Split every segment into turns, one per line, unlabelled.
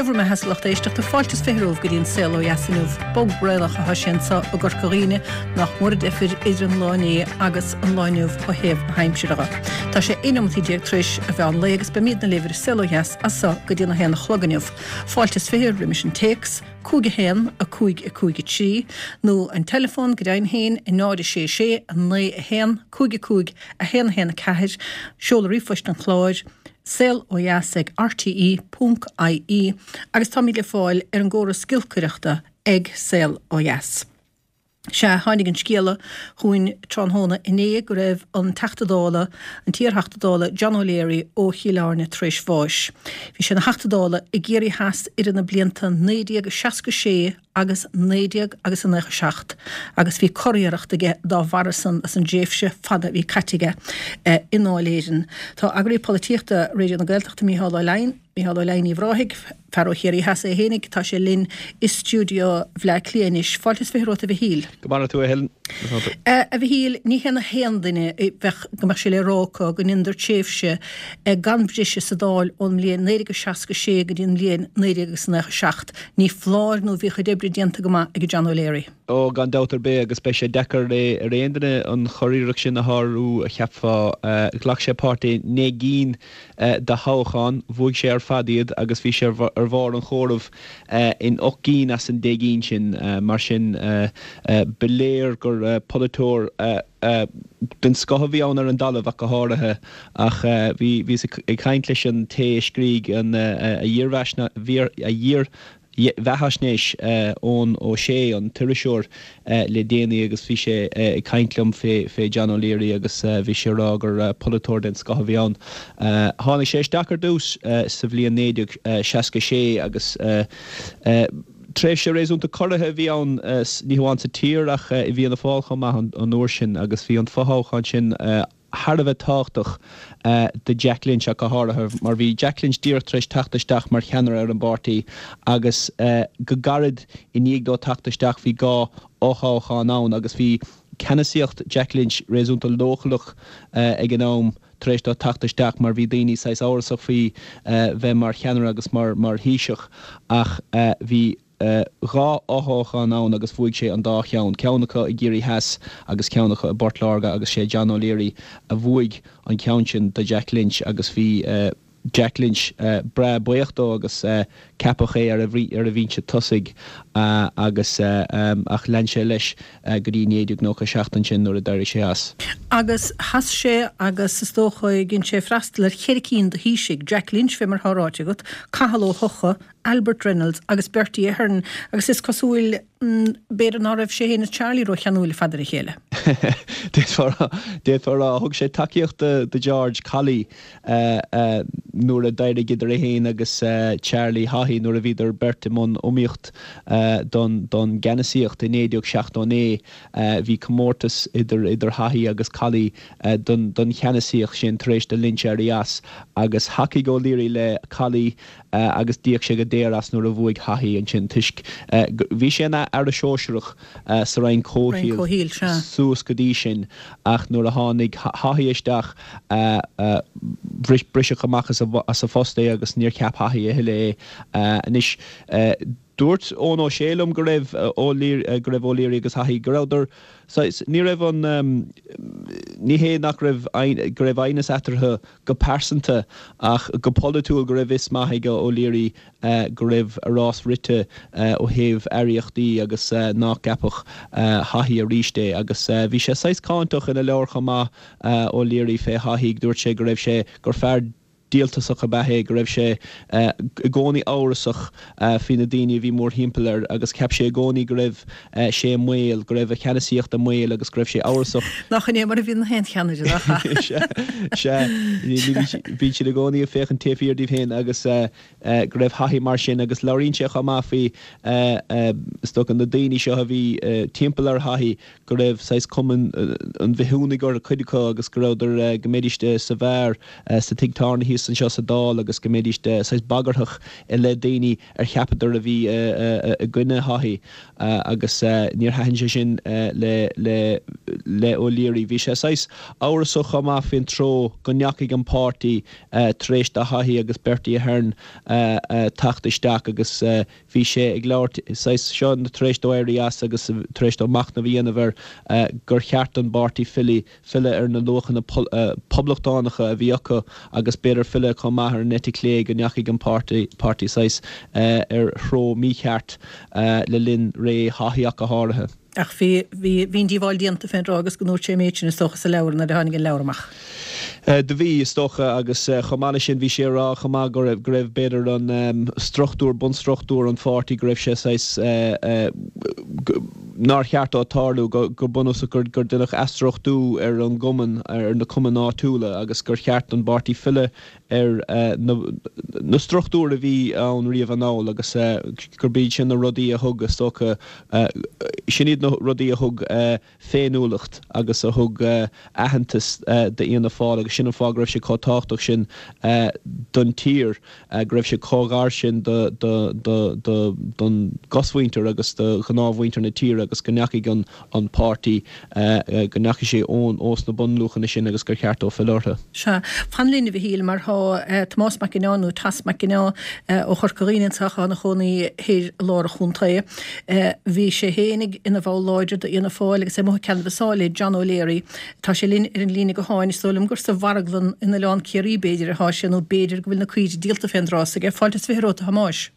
Gheobhaidh mé theas a lucht éisteachta fáilte is 20 romhaibh go dtí an Saol Ó Dheas inniu. Bog braonach atá sé anseo i gCorca Dhuibhne nach mór an deifir idir an lá inné agus an lá inniu ó thaobh na haimsire dhe. Tá sé 11 neomat tar éis an mheán lae agus beimidne libh ar an Saol Ó Dheas as so go dtí an 1 a chlog inniu. Fáilte is 20 roimis an téacs, 5 1 5 5 3, nó an teileafón go deimhin féin, 0 6 6 9 1 5 5 1 1 4, seoladh ríomhphoist an chláir, saol ó dheas ag rte ponc ie agus táimid le fáil ar an gcóras giolcaireachta ag Saol Ó Dheas. Sea, tháinig an scéala chugainn tráthnóna inné go raibh an Teachta Dála, an t-iarTheachta Dála John O'Leary ó Chill Airne tar éis bháis. Bhí sé ina Theachta Dála i gCiarraí Theas idir na blianta 1966 agus 19 agus a 97 agus bhí curiarracht aige dá bharra san as an dtréimhse fada a bhí caite aige i nDáil Éireann. Tá Eagraí Polaitíochta Raidió na Gaeltachta Mícheál Ó Leidhin, Mícheál Ó Leidhin Uíbh Ráthaigh, fear ó Chiarraí Theas é fhéinig, tá sé linn i stiúideo Bhleá Cliath anois. Fáilte is 20 romhat a Mhichíl.
Go maire tú a Helen.
A Mhichíl, ní hé na haon duine a bheadh, go mbeadh sé le rá acu go ndeineadar tréimhse gan bhriseadh sa Dáil ón mbliain 1966 go dtí an bhliain 1997. Ní foláir nó bhí a chuid oibre déanta go maith ag John O'Leary.
Ó, gan dabht ar bith, agus beidh sé deacair ar aon duine an churiarracht sin a shárú, cheapfá. Ghlac sé páirt i naoi gcinn de thoghcháin, bhuaigh sé ar fad iad agus bhí sé ar bharr an chomhairimh in ocht gcinn as an deich gcinn sin. Mar sin, ba léir gur polaiteoir den scoth a bhí ann ar an dtalamh ach go háirithe. Ach bhíos ag caint leis an té a scrígh a dhírbheathaisnéis, Eoin Ó Sé, an t-iriseoir, le déanaí agus bhí sé ag caint liom fé John O'Leary agus bhí sé ag rá gur polaiteoir den scoth a bhí ann. Tháinig sé isteach ar dtús sa bhliain 1966 agus tréimhse réasúnta corraithe a bhí ann, ní hamháin sa tír ach i bhFianna Fáil chomh maith an uair sin agus bhí an fothoghchán sin thar a bheith tábhachtach do Jack Lynch ach go háirithe mar bhí Jack Lynch díreach tar éis teacht isteach mar cheannaire ar an bpáirtí agus go gairid i ndiaidh dó teacht isteach bhí dhá fhothoghchán ann agus bhí ceannasaíocht Jack Lynch réasúnta leochaileach ag an am tar éis dó teacht isteach mar bhí daoine saghas amhrasach faoi bheith mar cheannaire agus mar Thaoiseach ach bhí dhá fhothoghchán ann agus bhuaigh sé an dá cheann, ceann acu i gCiarraí Theas agus ceann acu i bPort Láirge agus sé John O'Leary a bhuaigh an ceann sin do Jack Lynch agus bhí Jack Lynch breá buíoch dó agus ceapadh é ar a bhinse tosaigh agus ach lean sé leis go dtí 1997 ansin nuair a d'éirigh sé as.
Agus sheas sé agus is dócha dhein sé freastal ar cheithre cinn de Thaoisigh, Jack Lynch fé mar atá ráite agat, Cathal Ó hEochaidh, Albert Reynolds agus Bertie Ahern agus is cosúil, b'fhéidir, ná raibh sé féin is Charlie ró-cheanúil ar fad ar a chéile.
D'fhéadfá a rá. Thug sé tacaíocht do George Colley nuair a d'éirigh idir é féin agus Charlie Haughey nuair a bhíodar beirt i mbun iomaíocht don gceannasaíocht i 1979. Bhí comórtas idir idir Haughey agus Colley don cheannasaíocht sin tar éis do Lynch éirí as agus thacaigh O'Leary le Colley agus d'íoc sé go daor as nuair a bhuaigh Haughey ansin toisc bhí sé ina aire sóisearach sa Roinn Comhshaoil suas go dtí sin ach nuair a tháinig Haughey isteach bhris briseadh amach as a phost é agus níor cheap Haughey a thuilleadh é. Anois dúirt Eoin Ó Sé liom go raibh go raibh O'Leary agus Haughey go rabhadar saghas ní raibh an ní hé nach raibh go raibh aighneas eatarthu go pearsanta ach go polaitiúil go raibh fhios maith ag O'Leary go raibh a rás rite ó thaobh aireachtaí agus nach gceapfadh Haughey arís é. Agus bhí sé saghas cáinteach ina leabhar chomh maith, O'Leary, fé Haughey. Dúirt sé go raibh sé, gur fear díoltasach ab ea é, go raibh sé i gcónaí amhrasach faoi na daoine a bhí mórthimpeall air agus cheap sé i gcónaí go raibh sé i mbaol, go raibh a cheannasaíocht i mbaol agus go raibh sé amhrasach.
Nach in é mar a bhíonn aon cheannaire, nach
ea? Sea, sea. Bíonn siad i gcónaí ag féachaint taobh thiar díobh féin agus go raibh Haughey mar sin agus labhraíonn sé chomh maith faoi, is dócha, na daoine seo a bhí timpeall ar Haughey, go raibh saghas cuma an bhithiúnaigh orthu, cuid acu, agus go rabhadar, go mbeidís sa bheár sa tigh tábhairne thíos. síos anseo sa Dáil agus go mbeidís saghas bagarthach i leith daoine ar cheapadar a bhí i gcoinne Haughey agus níor thaitin sé sin le le O'Leary. Bhí sé saghas amhrasach chomh maith faoin treo go ndeachaigh an páirtí tar éis do Haughey agus Bertie Ahern teacht isteach agus bhí sé ag labhairt saghas seo tar éis dó éirí as agus tar éis dó machnamh a dhéanamh air gur cheart don bpáirtí filleadh filleadh ar na luachanna poblachtánacha a bhí acu agus b'fhéidir filleadh chomh maith ar an eite chlé go ndeachaigh an páirtí saghas ar threo mícheart le linn ré Haughey ach go háirithe.
Ach bhí, bhí, bhí an díobháil déanta fén dtráth agus go ndúirt sé an méid sin is dócha sa leabhar nuair a tháinig an leabhar amach.
Do bhí, is dócha, agus chomh maith leis sin bhí sé ag rá chomh maith go raibh, go raibh b'fhéidir an struchtúr, bunstruchtúr an pháirtí, go raibh sé saghas, nár cheart dó tarlú, go bunúsach gur deineadh athstruchtú ar an gcumann, ar na cumainn áitiúla agus gur cheart don bpáirtí filleadh ar na struchtúir a bhí ann riamh anall agus gurb iad sin na rudaí a thug, is dócha, sin iad na rudaí a thug féiniúlacht agus a thug aitheantas d'Fhianna Fáil agus sin an fáth go raibh sé chomh tábhachtach sin don tír, go raibh sé chomh gar sin don gcosmhuintir agus do ghnáthmhuintir na tíre agus go ndeachaigh an páirtí, go ndeachaigh sé ón ós na bunluachanna sin agus gur cheart dó filleadh orthu.
Sea. Fan linn, a Mhichíl, mar tá Tomás Mac Ginneá, nó Toss Mac Ginneá, ó Chorca Dhuibhne anseo, atá ina chónaí thoir i lár an chontae. Bhí sé féinig ina bhall láidir d'Fhianna Fáil agus é amuigh ag canbhasáil le John O'Leary. Tá sé linn ar an líne gutháin. Is dóigh liom gur sa mharglann in Oileán Ciarraí, b'fhéidir, atá sé, nó b'fhéidir go bhfuil na caoirigh díolta fén dtráth s'aige. Fáilte is 20 romhat, a Thomáis.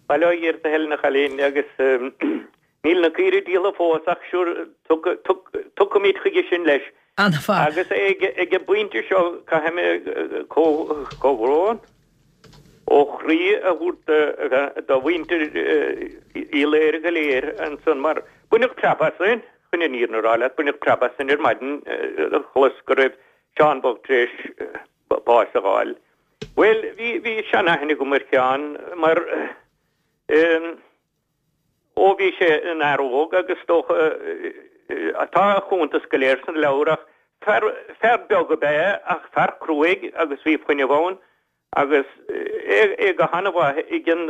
Bail ó Dhia ort, a Helen, a chailín, agus níl na caoirigh díolta fós ach sure tiocfaimid chuige sin leis.
An-mhaith.
Agus ag an bpointe seo caithfidh mé comhbhrón ó chroí a thabhairt do mhuintir Uí Laoire go léir ansan mar baineadh preab asainn, chun an fhírinne a rá leat, baineadh preab asainn ar maidin a chlos go raibh Seán bocht tar éis bás a fháil. Bhuel, bhí, bhí seanaithne agam ar Sheán mar Ó bhí sé ina fhear óg agus is dócha, tá a chuntas go léir san leabhar ach fear, fear beag ab ea é ach fear cruaidh agus bhí fuinneamh ann agus é, é go han-mhaith ag an,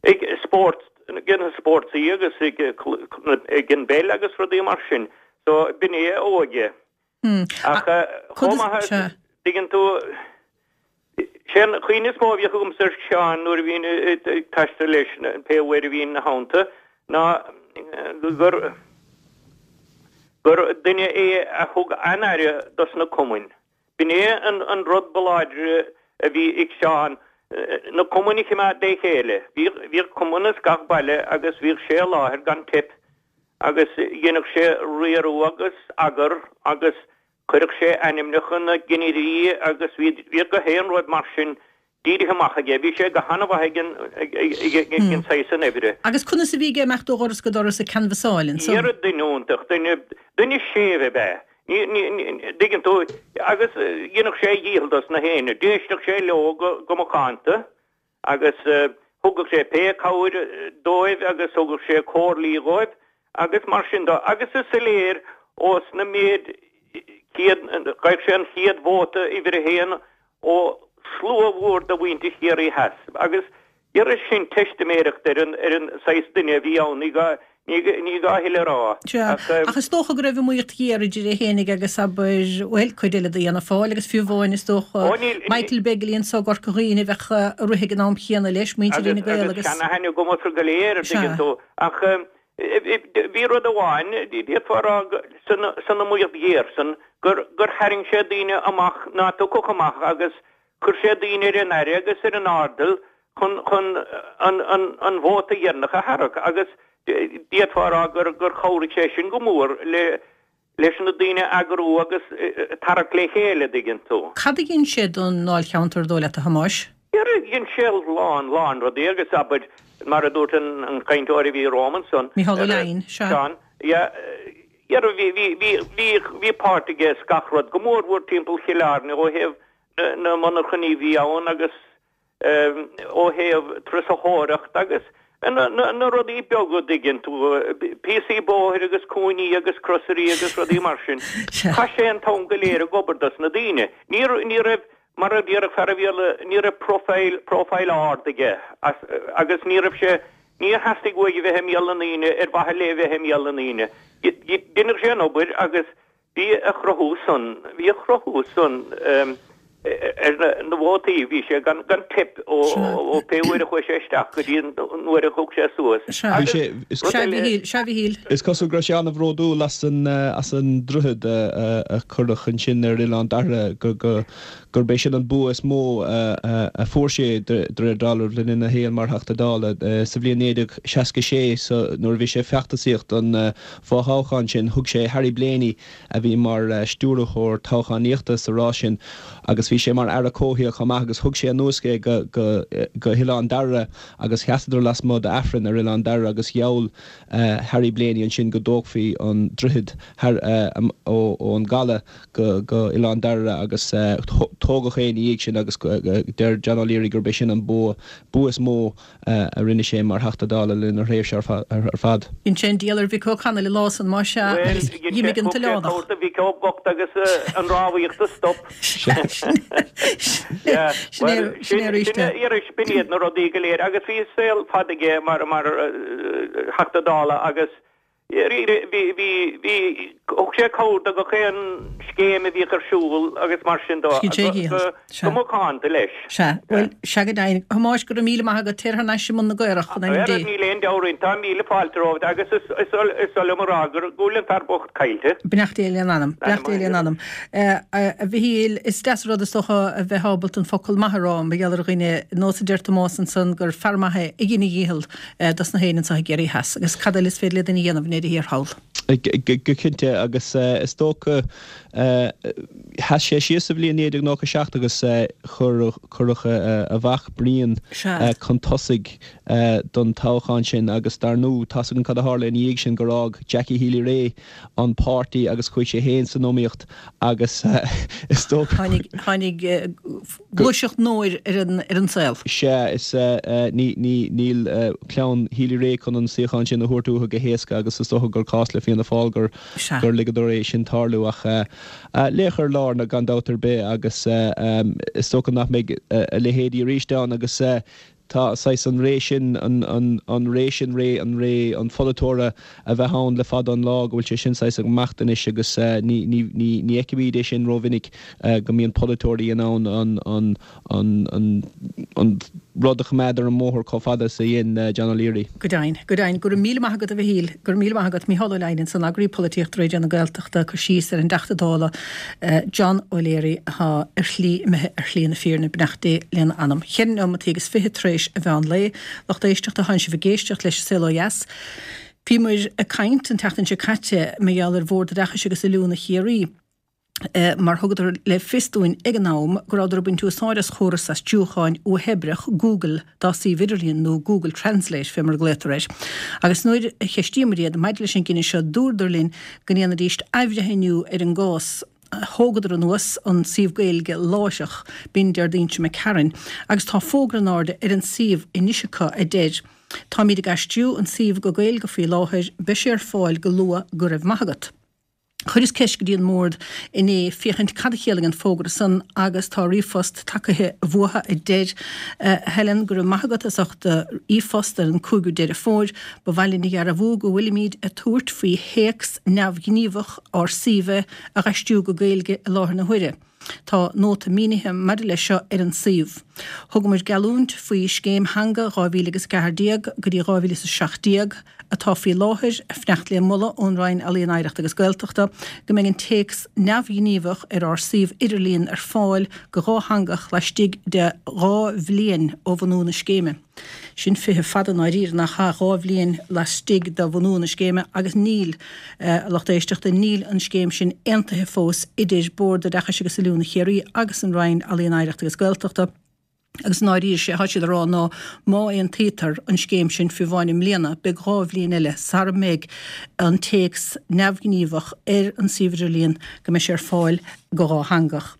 ag spórt, ag na spórtaí agus ag, ag an bpeil agus rudaí mar sin. So b'in é a óige. Ach chomh maith, tuigeann tú, sé an chuimhne is mó a bhíodh agamsa ar Sheán nuair a bhínn ag taisteal leis, pé uair a bhínn ina theannta, ná gur gur duine é a thug an-aire dos na cumainn. B'in é an rud ba láidre a bhí ag Seán, na cumainn a chimeád le chéile. Bhíodh cumann ins gach baile agus bhíodh sé i láthair gan teip agus dheineadh sé riaradh agus eagar agus chuireadh sé ainmneacha na gcinnirí agus bhíodh gach aon rud mar sin dírithe amach aige. Bhí sé go han-mhaith ag an saghas san oibre.
Agus conas a bhí aige imeacht ó dhoras go doras ag canbhasáil
ansan? Dhera, duine iontach, duine, duine séimh ab ea. Ní, ní, dtuigeann tú, agus dhéanfadh sé a dhícheall dos na héinne. D'éisteadh sé leo go, go macánta agus thugadh sé pé cabhair dóibh agus thugadh sé comhairlí dhóibh agus mar sin de. Agus is soiléir ós na méid chéad, gheibh sé an chéad vóta uimhir a haon ó shlua mhór de mhuintir Chiarraí Theas agus dhera sin teistiméireacht ar an ar an saghas duine a bhí ann, ní gá ní gá a thuilleadh a rá.
Sea, ach is dócha go raibh iomaíocht ghéar idir é fhéinig agus, abair, bhuel, cuid eile d'Fhianna Fáil agus fiú amháin, is dócha, Michael Begley anso i gCorca Dhuibhne a bheadh ag rith ag an am chéanna leis, muintir Fhine Gael
agus. Agus seanaithne agam orthu go léir, an dtuigeann tú, ach bhí rud amháin, d'fhéadfá a rá san iomaíocht ghéar san, gur tharraing sé daoine amach ná tiocfadh amach agus chuir sé daoine ar a n-aire agus ar a n-airdeall chun chun an an an vóta dheireanach a tharrac agus d'fhéadfá a rá gur gur chabhraigh sé sin go mór le leis na daoine a eagrú agus tarrac le chéile, a dtuigeann tú.
Cad a dhein sé don ndáilcheantar, dóigh leat, a Thomáis?
Dhera, dhein sé a lán, lán rudaí agus abair, mar a dúirt an an cainteoir a bhí romham ansan,
Micheál Ó Leidhin, sea.
Seán, yeah, dhera, bhí, bhí, bhí, bhí, bhí páirt aige is gach rud, go mór mhór timpeall Chill Airne ó thaobh na, na monarchanaí a bhí ann agus ó thaobh turasóireacht agus na rudaí beaga a dtuigeann tú, píosaí bóthair agus cúinní agus crosairí agus rudaí mar sin. Chaith sé an t-am go léir ag obair dos na daoine. Ní raibh. Mar a déarfadh fear an Bhéarla, ní raibh profile, profile ard aige agus ní raibh sé, níor theastaigh uaidh a bheith i mbéal na ndaoine ar mhaithe le bheith i mbéal na ndaoine. Deineadh sé an obair agus bhí a chruthú san, bhí a chruthú san ar na vótaí, bhí sé gan teip ó pé uair a chuaigh sé isteach go dtí an uair a thug sé suas.
Bhí sé, is
Sea, a Mhichíl, sea, a Mhichíl.
Is cosúil go raibh sé an-bhródúil as an, as an droichead a cuireadh ansin ar Oileán Dairbhre, go, go, gurb é sin an bua is mó a fuair sé de réir dealraimh le linn a shaoil mar Theachta Dála. Sa bhliain 1966, so, nuair a bhí sé ag feachtasaíocht don fhothoghchán sin, thug sé Harry Blaney, a bhí mar stiúrthóir toghchánaíochta sa rás sin agus bhí sé mar Aire Comhshaoil chomh maith agus thug sé anuas é go, go, go hOileán Dairbhre agus sheasadar lasmuigh d'Aifreann ar Oileán Dairbhre agus gheall Harry Blaney ansin go dtógfaí an droichead thar, ón gcaladh go, go Oileán Dairbhre agus tógadh é ina dhiaidh sin agus deir John O'Leary gurb é sin an bua, bua is mó a rinne sé mar Theachta Dála le linn a thréimhse ar fad.
Dhein sé an diabhal ar Mhick Ó Conghaile an lá san, más ea, agus
d'imigh an t-oileánach. Bhuel, dhein sé Mhick Ó bocht agus an rámhaíocht a stop.
Sin é arís é.
B'in iad na rudaí go léir agus bhí saol fada aige mar Theachta Dála agus Bhí, bhí, bhí, thug sé cabhair do gach aon scéim a bhíodh ar siúl agus mar sin de, go macánta leis.
Sea, bhuel, sea go deimhin. A Thomáis, go raibh míle maith agat, téir thar n-ais i mbun na gcaorach, in ainm Dé.
Níl aon deabhadh orainn, tá míle fáilte romhat agus is oth liom a rá go bhfuil an fear bocht caillte.
Beannacht Dé lena anam, beannacht Dé lena anam. A Mhichíl, is deas an rud is dócha a bheith ábalta an focal maith a rá mar gheall ar dhuine, nós a deir Tomás ansan gur fear maith é a dhein a dhícheall. dos na héinne anseo i gCiarraí Theas. Agus cad eile is féidir le duine a dhéanamh i ndeireadh thiar thall?
Go cinnte, agus is dócha, sheas sé síos sa bhliain 1997 agus cuireadh a mhac Brian chun tosaigh don toghchán sin agus dar ndóigh, tá's againn cad a tharla ina dhiaidh sin, gur fhág Jackie Healy-Rae an páirtí agus chuaigh sé féin san iomaíocht agus is dócha.
Tháinig gluaiseacht nua ar an saol.
Sea, is níl clann Healy-Rae chun an suíochán sin a thabhairt uathu go héasca agus is dócha gur cás le Fianna Fáil gur ligeadar é sin tarlú. Ach laoch ar lár gan dabht ar bith agus is dócha nach mbeidh a leithéidí arís ann agus Tá saghas an ré sin, an ré sin, ré an ré an pholaiteora a bheith ann le fada an lá, go bhfuil sé sin saghas ag imeacht anois agus ní ní ní ní fheicimid é sin rómhinic go mbíonn polaiteoirí in ann an an an an an rud a choimeád ar an mbóthar chomh fada is a dhein John O'Leary.
Go deimhin, go deimhin. Go raibh míle maith agat a Mhichíl. Go raibh míle maith agat. Mícheál Ó Leidhin ansan, Eagraí Polaitíochta Raidió na Gaeltachta, ag cur síos ar an dTeachta Dála John O'Leary atá ar shlí, imithe ar shlí na fírinne, beannacht Dé lena anam. Cheithre neomataí agus fiche tar éis an mheán lae. Lucht éisteachta, tánn sibh ag éisteacht leis An Saol Ó Dheas. Bhíomar ag caint an tseachtain seo caite mar gheall ar Bhord Oideachais agus Oiliúna Chiarraí. mar thugadar le fios dúinn ag an am go rabhadar ag baint úsáid as chóras aistriúcháin uathoibreach Google dá suíomh idirlíon, nó Google Translate fé mar a glaotar air. Agus nuair a cheistíomar iad maidir leis an gcinneadh seo dúradar linn go ndéanfaidíst athbhreithniú ar an gcás. Thógadar anuas an suíomh Gaeilge láithreach, b'in Déardaoin seo imigh tharainn, agus tá fógra in airde ar an suíomh anois acu a deir, Táimid ag aistriú an suíomh go Gaeilge faoi láthair, beidh sé ar fáil go luath, go raibh maith agat. Chuireas ceist go dtí an mBord inné féachaint cad a chiallaigh an fógra san agus tá ríomhphost tagaithe uathu a deir, A Helen, go raibh maith agat as ucht do ríomhphost ar an 5ú Deireadh Fómhair. Ba mhaith linn a dhearbhú go bhfuilimid ag tabhairt faoi théacs neamhghníomhach ár suímhe a dh'aistriú go Gaeilge i láthair na huaire. Tá nóta mínithe maidir leis seo ar an suíomh. Thugamar geallúint faoi Scéim Theanga 2014 go dtí 2017, atá faoi láthair, ag fanacht le moladh ón Roinn Ealaíon Oidhreachta agus Gaeltachta, go mbeidh an téacs neamhghníomhach ar ár suíomh idirlíon ar fáil go dhátheangach laistigh de 2 bhliain ó bhunú na scéime. Sin fiche fada i ndáiríre, nach ea? 2 bhliain laistigh de bhunú na scéime agus níl, a lucht éisteachta, níl an scéim sin aontaithe fós idir Bord Oideachais agus Oiliúna Chiarraí agus an Roinn Ealaíon Oidhreachta agus Gaeltachta agus i ndáiríre sé atá siad a rá ná má aontaítear an scéim sin fiú amháin i mbliana beidh 2 bhliain eile sara mbeidh an téacs neamhghníomhach ar an suíomh idirlíon go mbeidh sé ar fáil go dhátheangach.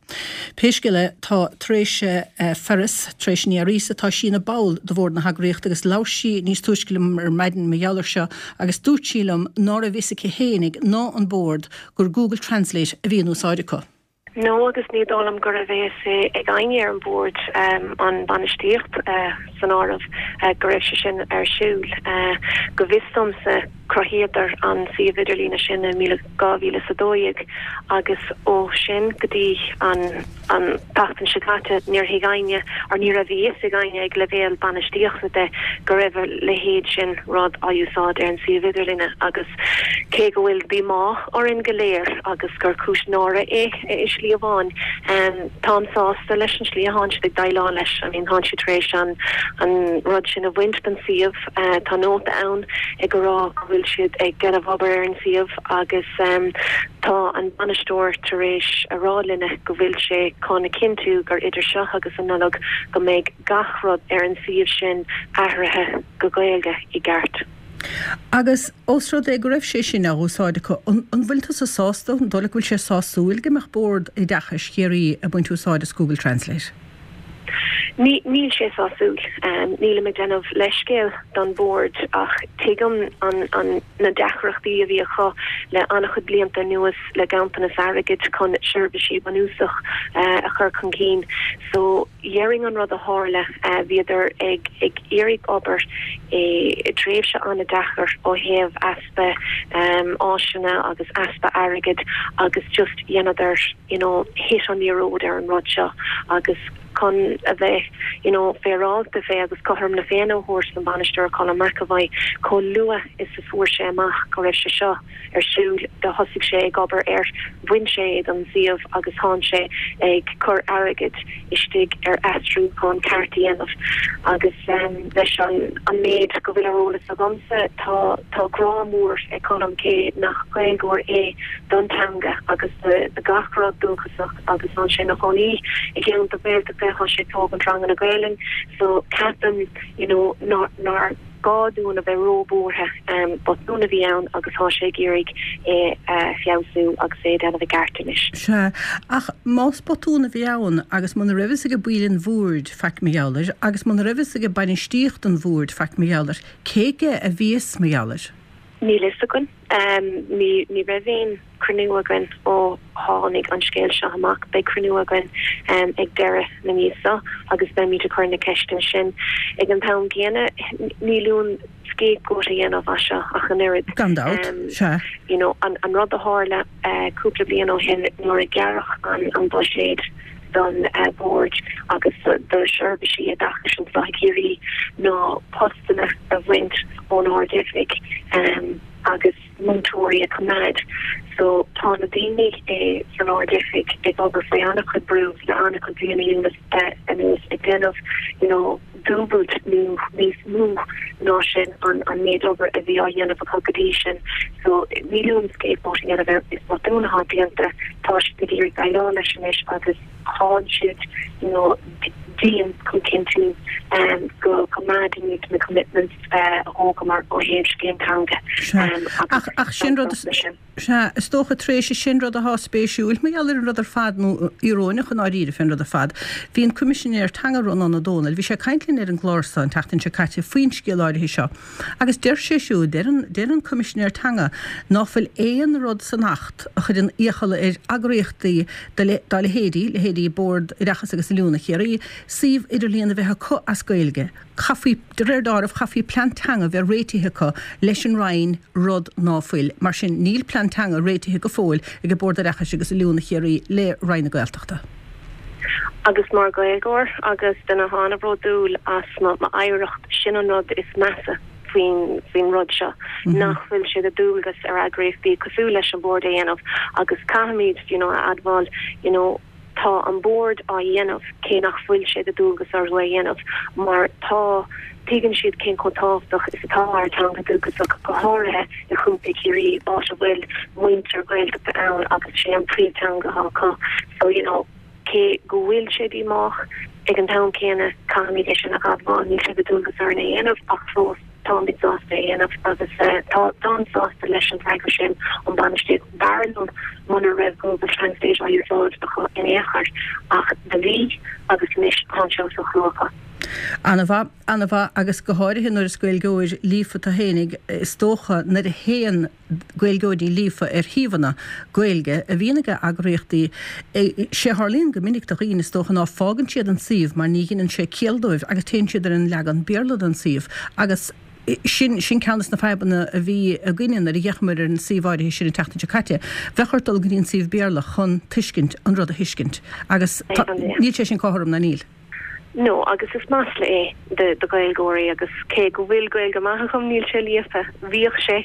Pé scéal é, tá Teresa Ferris, Teresa Ní Fhearghusa, tá sí ina ball de bhord na heagraíochta agus labhair sí níos túisce liom ar maidin mar gheall air seo agus dúirt sí liom ná raibh fhios aici fhéinig ná an bord gur Google Translate a bhí in úsáid acu.
No, agus ní dóigh liom go raibh a fhios ag éinne ar an bhord, an bainistíocht san áireamh, go raibh sé sin ar siúl. Go bhfios domsa, cruthaíodar an suíomh idirlíne sin i 2012 agus ó sin go dtí an an tseachtain seo caite níor thuig éinne or ní raibh a fhios ag éinne ag leibhéal bainistíochta de go raibh a leithéid sin rud á úsáid ar an suíomh idirlíne agus cé go bhfuil díomá orainn go léir agus gur cúis náire é i slí amháin, táim sásta leis an slí a thánn siad ag déileáil leis. I mean thánn siad tar éis an an rud sin a bhaint den suíomh. Tá nóta ann ag rá go bhfuil siad ag déanamh obair ar an suíomh agus tá an bainisteoir tar éis a rá linne go bhfuil sé chun a chinntiú gur idir seo agus an Nollaig go mbeidh gach rud ar an suíomh sin athraithe go Gaeilge i gceart.
Agus ós rud é go raibh sé sin á úsáid acu, an bhfuil tusa sásta, an dóigh leat go bhfuil sé sásúil go mbeadh Bord Oideachais Chiarraí ag baint úsáid as Google Translate?
Ní, níl sé sásúil. Nílim ag déanamh leithscéal don Bhord ach tuigim an, an, na deacrachtaí a bhí acu le an-chuid blianta anuas le ganntanas airgid chun seirbhísí bunúsach a chur chun cinn. So, Dhéarfainn an rud a tharla, bhíodar ag ag iarraidh obair i dtréimhse an-deacair ó thaobh easpa áiseanna agus easpa airgid agus just dheineadar you know hit an liathróid ar an rud seo agus chun a bheith you know féaráilte fé agus cothrom na Féinne a thabhairt don bhainisteoir Colm McEvoy chomh luath is a fuair sé amach go raibh sé seo ar siúl do thosaigh sé ag obair air, bhain sé é den suíomh agus thánn sé ag cur airgid istigh ar aistriúchán ceart a dhéanamh. Agus leis an méid go bhfuil ar eolas agamsa tá tá grá mór ag Colm, cé nach Gaeilgeoir é, don teanga agus do gach rud dúchasach agus thánn sé ina chónaí i gceantar Gaeltachta, thá sé ag tógaint ranganna Gaelainn so ceapaim you know nár gá dúinn a bheith róbhuartha. Botún a bhí ann agus tá sé ag iarraidh é a feabhsú agus é a dhéanamh i gceart anois.
Sea, ach más botún a bhí ann agus muna raibh fhios ag baill an bhoird faic mar gheall air agus muna raibh fhios ag bainistíocht an bhoird faic mar gheall air, cé aige a bhí fhios mar gheall air?
Níl fhios againn. Ní raibh aon cruinniú againn ó tháinig an scéal seo amach. Beidh cruinniú againn ag deireadh na míosa agus beimid ag cur na ceisteanna sin. Ag an t-am gcéanna, níl uainn scapegoat a dhéanamh as seo ach an oiread.
Gan dabht, sea.
You know, an rud a tharla cúpla bliain ó shin nuair a gearradh an buiséad don Bhord agus do sheirbhísí oideachais anseo i gCiarraí ná postanna a bhaint ón Ard-Oifig agus múinteoirí a choimeád. So tá na daoine san Ard-Oifig ag obair faoi an-chuid brú le an-chuid bliana anuas ag déanamh you know dúbailt nó níos mó ná sin an an méid obair a bhí á dhéanamh acu go dtí sin. So níl uaim scapegoat a dhéanamh air, is botún atá déanta, tá siad ag iarraidh déileáil leis anois agus thánn siad you know dian chun cinntiú go gcoimeádfaimid na commitments a thógamar ó thaobh scéim teanga
agus Ach sin rud, sea, is dócha tar éis sin rud atá spéisiúil mar gheall ar an rud ar fad nó íoróineach i ndáiríre fén rud ar fad. Bhí an Coimisinéir Teanga Rónán Ó Domhnaill, bhí sé ag caint linn ar an gclár seo an tseachtain seo caite faoin scéal áirithe seo agus deir sé siúd, deir an, deir an Coimisinéir Teanga ná fuil aon rud san Acht a chuireann iachall ar eagraíochtaí dá leithéidí, leithéidí Bord Oideachais agus Oiliúna Chiarraí, suíomh idirlíon a bheith acu as Gaeilge. Chaithfí, de réir dealraimh, chaithfí plean teanga bheith réitithe acu leis an Roinn, rud ná fuil. Mar sin, níl plean teanga réitithe go fóill ag Bord Oideachais agus Oiliúna Chiarraí le Roinn na Gaeltachta.
Agus mar Ghaeilgeoir agus duine atá an-bhródúil as m'oidhreacht, sin an rud is measa faoin faoin rud seo, nach bhfuil sé de dualgas ar eagraíochtaí cosúil leis an Bhord é a dhéanamh agus caithfimid, you know, a admháil, you know, Tá an Bord á dhéanamh, cé nach bhfuil sé de dualgas orthu é a dhéanamh, mar tá, tuigeann siad cén chomh tábhachtach is atá ár dteanga dúchasach, go háirithe i Chontae Chiarraí, áit a bhfuil muintir Ghaeltachta ann agus sé an príomhteanga atá acu. So, you know, cé go bhfuil sé díomách, ag an t-am céanna, caithfimid é sin a admháil, níl sé de dualgas orainn é a dhéanamh ach fós. Táimid sásta é a dhéanamh agus táim sásta leis an bhfreagra sin ón bainistíocht. B'fhearr liom muna raibh Google Translate á úsáid acu in aon chor ach do bhí agus anois tá sé os a chomhair acu.
Ana-mhaith, ana-mhaith agus go háirithe nuair is Gaeilgeoir líofa tú fhéinig, is dócha, nuair a théann Gaeilgeoirí líofa ar shuíomhanna Gaeilge a bhíonn ag eagraíochtaí, sé a tharlaíonn go minic do dhaoine is dócha ná fágann siad an suíomh mar ní dheineann sé ciall dóibh agus téann siad ar an leagan Béarla den suíomh agus sin, sin ceann des na fadhbanna a bhí againne nuair a d'fhéachamar ar an suíomh áirithe sin an tseachtain seo caite. Bheadh ort dul go dtí an suíomh Béarla chun tuiscint, an rud a thuiscint agus tá, níl sé sin cothrom, ná níl?
No, agus is masla é do Ghaeilgeoirí agus cé go bhfuil Gaeilge maith agam níl sé líofa. Bhíodh sé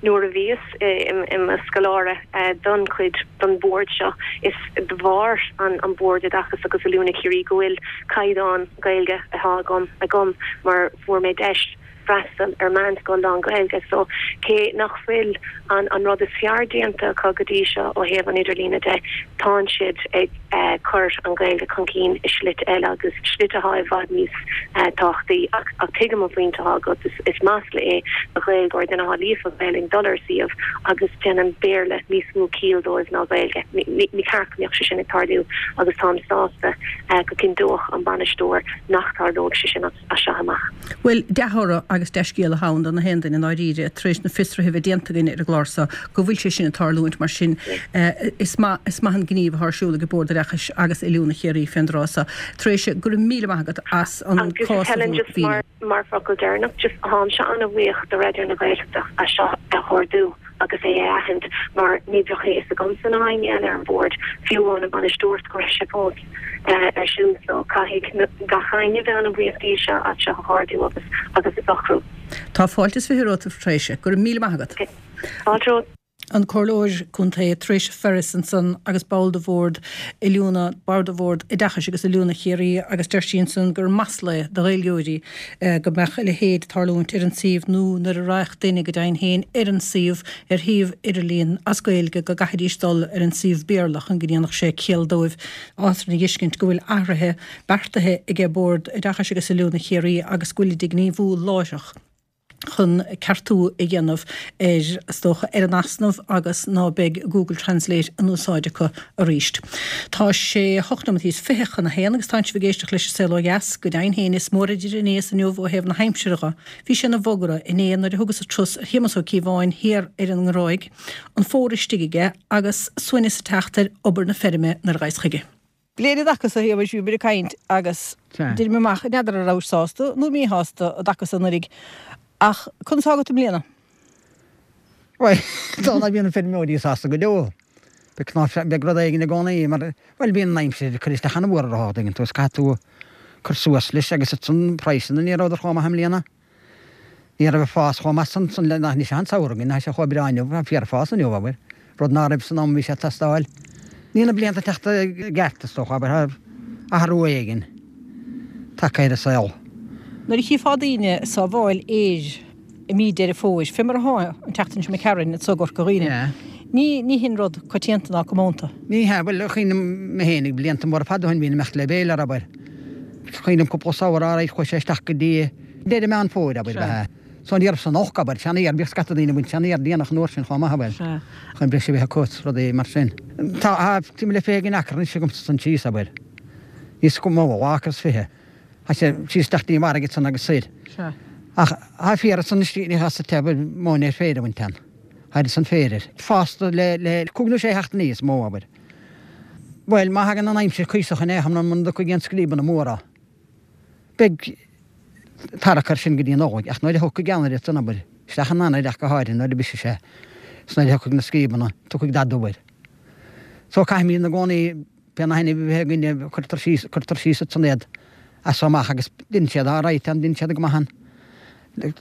nuair a bhíos i mo scoláire don chuid don bhord seo. Is de bharr an Bord Oideachais agus Oiliúna Chiarraí go bhfuil caighdeán Gaeilge atá agam agam mar fuair mé deis freastal ar meánscoil lán-Ghaeilge so cé nach bhfuil an an rud is fearr déanta acu go dtí seo ó thaobh an idirlíne de, tánn siad ag cur an Ghaeilge chun cinn i slite eile agus slite atá i bhfad níos tábhachtaí ach ach tuigim an phointe atá agat, is is masla é do Ghaeilgeoir, duine atá líofa Gaelainn dul ar suíomh agus déanann Béarla níos mó ciall dóibh ná Gaeilge. Ní ní ceart go mbeadh sé sin ag tarlú agus táim sásta go gcinnteoidh an bainisteoir nach dtarlóidh sé sin as seo amach.
Bhuel, dea-thoradh agus dea-scéal atá ann do na haon duine i ndáiríre, tar éis na fiosruithe a bheith déanta againn ar an gclár seo, go bhfuil sé sin ag tarlúint. Mar sin, is maith, is maith an gníomh atá ar siúl ag Bord Oideachais agus Oiliúna Chiarraí fén dtráth seo. Treasa, go raibh míle maith agat as an
cás a mhíniú. Mar focal deireanach, just táimse an-bhuíoch do Raidió na Gaeltachta as seo a ardú. agus é a aithint mar ní bheadh a fhios agamsa ná éinne eile ar an bhord, fiú amháin an bhainisteoireacht, go raibh sé fós ar siúl. So caithfidh gach éinne bheith an-bhuíoch díobh seo as seo a ardú agus agus a socrú.
Tá fáilte is 20 romhat a Threasa. Go raibh míle maith agat.
Fáilte romhat.
An Comhairleoir Contae Treasa Ferris ansan agus ball de Bhord Oiliúna, ball de Bhord Oideachais agus Oiliúna Chiarraí agus deir sí ansan gur masla é do Ghaeilgeoirí go mbeadh a leithéid ag tarlúint ar an suíomh nó nuair a raghadh duine go deimhin féin ar an suíomh ar shuíomh idirlín as Gaeilge go gcaithfidís dul ar an suíomh Béarla chun go ndéanfadh sé ciall dóibh á thuiscint go bhfuil athruithe beartaithe aige Bord Oideachais agus Oiliúna Chiarraí agus go bhfuilid ag gníomhú láithreach. chun ceartú a dhéanamh ar, is dócha, ar an easnamh agus ná beidh Google Translate in úsáid acu arís. Tá sé hocht nóiméad is 20 chun a haon agus tánn sibh ag éisteacht leis an Saol Ó Dheas. Go deimhin féin is mór idir inné is inniu ó thaobh na haimsire dho. Bhí sé ina bhogadhradh inné nuair a thugas turas ar Shéamus Ó Cíobháin thiar ar an nGráig, an fómhar istigh aige agus suaimhneas ag teacht ar obair na feirme nuair a ghabhas chuige. Bliain i dtaca so a Shéamais bhíomar ag caint agus d'éirigh mé amach, n'fheadar an rabhais sásta nó míshásta i dtaca so anuraidh ach conas atá agat i mbliana?
Bhuel, tá ná bíonn na feirmeoirí sásta go deo. Beidh cnámh, beidh rud éigin i gcónaí mar, bhuel, bíonn an aimsir ag cur isteach an-mhór orthu, tuigeann tú, is caithfidh tú cur suas leis agus ansan praghsanna ní rabhadar chomh maith i mbliana. Ní raibh an fás chomh maith san san le nach ní an samhradh againn, tá sé chomh breá inniu, tá fíorfhás inniu, abair, rud ná raibh san am a bhí sé ag teastáil. Níl na blianta ag teacht i gceart, is dócha, abair, tá athrú éigin tagtha ar an saol.
Nuair a chífeá daoine ag sábháil fhéir i mí Deireadh Fómhair, fé mar atá an tseachtain seo imigh tharainn anso i gCorca Dhuibhne, ní, ní hin rud coitianta ná comónta.
Ní hea, bhuel, cuimhním mé féinig blianta móra fada ó shin bhínn ag imeacht le béilear, abair. Cuimhním cúpla samhradh ar aghaidh chuaigh sé isteach go dtí deireadh Meán Fómhair, abair, ba ea. So ní raibh san olc, abair, seanfhéar, bhíodh scata daoine ag baint seanfhéar déanach an uair sin chomh maith, abair, chun breis a bheith acu is rudaí mar sin. Tá timpeall le 20 acra anois agamsa san síos, abair. Níos mó, dhá acra is fiche. Tá sé síos isteach dtí an bhfarraige ansan agus soir. Ach tá féar ansan istigh, ní as sa abair, móin ar féar a bhaint ann. Tá san féar air. Fásta le, le cúig nó sé sheachtainí is mó, abair. Bhuel, má thagann an aimsir cuíosach in aon chor muna dtiocfaidh aon scríobanna móra, beidh tarrac air sin go dtí an Nollaig, ach nuair a thiocfaidh Eanáir ansan, abair, isteach in Eanáir ach go háirithe nuair a brisfidh sé, is nuair a thiocfaidh na scríobanna, tiocfaidh dath dubh air. So caithfimid ina gcónaí, pé na hainmhithe a bheith againne, cuirtear síos, cuirtear síos ansan iad as so amach agus deineann siad alright ann, deineann siad go maith ann,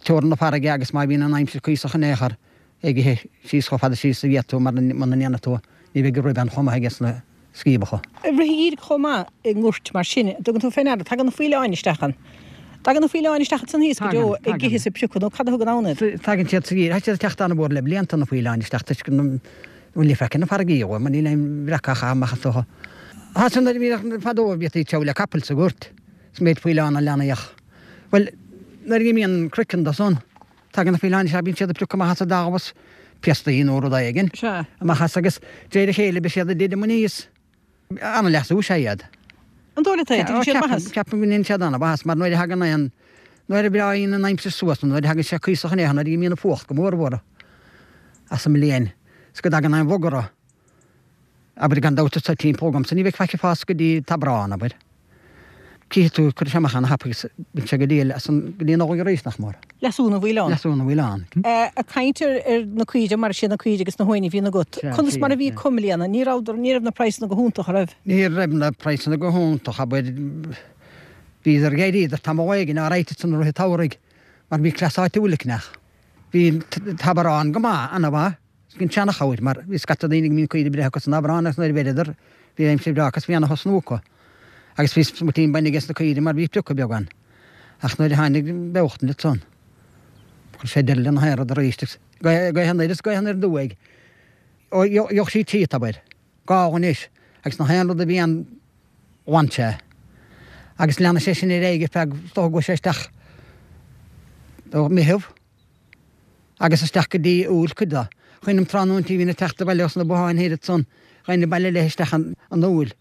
teorainn na farraige agus má bhíonn an aimsir cuíosach in aon chor, ag ithe síos chomh fada síos a d'fhéadfadh tú mar muna ndéanfaidh tú ní bheidh an ruib ann chomh maith aige sna scríobacha.
Ag rith an gheimhridh chomh maith i ngoirt mar sin, an dtugann tú fé ndeara, tagann na faoileáin isteach ann. Tagann na faoileáin isteach ansan thíos go deo ag ithe is ag piocadh nó cad a thugann ann iad?
Tagann siad sa gheimhreadh, tá siad ag teacht an-mhór le blianta na faoileáin isteach toisc go bhfuil ní feiceann na farraigí dhóibh mar níl aon bhreacadh á chaitheamh amach is dócha. Tá san nuair a bhíodh fadó bhíodh ag treabhadh le capaill sa ghort is méid faoileán a leanaíodh. Bhuel nuair a imíonn an croiceann de san, Tagann na faoileáin isteach, bíonn siad ag piocadh amach as an dtalamh is piastaí nó rud éigin amach as agus de réir a chéile beidh siad ag titim aníos. An-leasú is ea iad.
An dóigh leat é? Déanann siad maitheas?
Ceapaim go ndéanann siad an-mhaitheas mar nuair a thagann aon, nuair a bhreáíonn an aimsir suas nó nuair a thagann sé cuíosach in aon nuair a imíonn an fuacht go mór mhór as an mbliain is go dtagann aon bhogadh, abair gan dabht anseo timpeall agamsa ní bheidh faic ag fás go dtí Aibreán, abair. Cífidh tú, cuirfidh sé amach ana-thapaidh agus bíonn sé go diail as an, go dtí an Nollaig arís, nach mór.
Leasú na bhfuil ann.
Leasú na bhfuil ann.
Ag caint ar ar na caoirigh, mar is iad na caoirigh agus na huain a bhíonn agat, conas mar a bhí acu i mbliana? Ní rabhadar, ní raibh na praghsanna go hiontach, an raibh?
Ní raibh na praghsanna go hiontach, abair. Bhíodar, d'éiríodar tamall éigin alright ansan i rith an tsamhraidh mar bhí cleas áitiúil ag neach. Bhí an t-Aibreán go maith, ana-mhaith. An tseanachabhair, mar bhí scata daoine go mbíonn caoirigh breithe acu san Aibreán agus nuair a bheireadar bhí aimsir bhreá acu is bhí ana-thosnú acu. Agus bhí smuitín bainne aige sna caoirigh mar bhí priocadh beag ann. Ach nuair a tháinig an bheochtain ansan chuir sé deireadh lena haon rud arís agus gaoth anoir is gaoth anoir aduaidh. Ó gheobhadh sí tríot, abair, gála anois agus na haon rud a bhí ann bhain sé. Agus leanfaidh sé sin ar aghaidh ar feadh, is dócha go bhfuil sé isteach ó Mheitheamh. agus isteach go dtí Iúil cuid de. Cuimhním tráthnóintí bhínn ag teacht abhaile os na botháin thoir ansan, gheibhinn abhaile léi isteach an Iúil.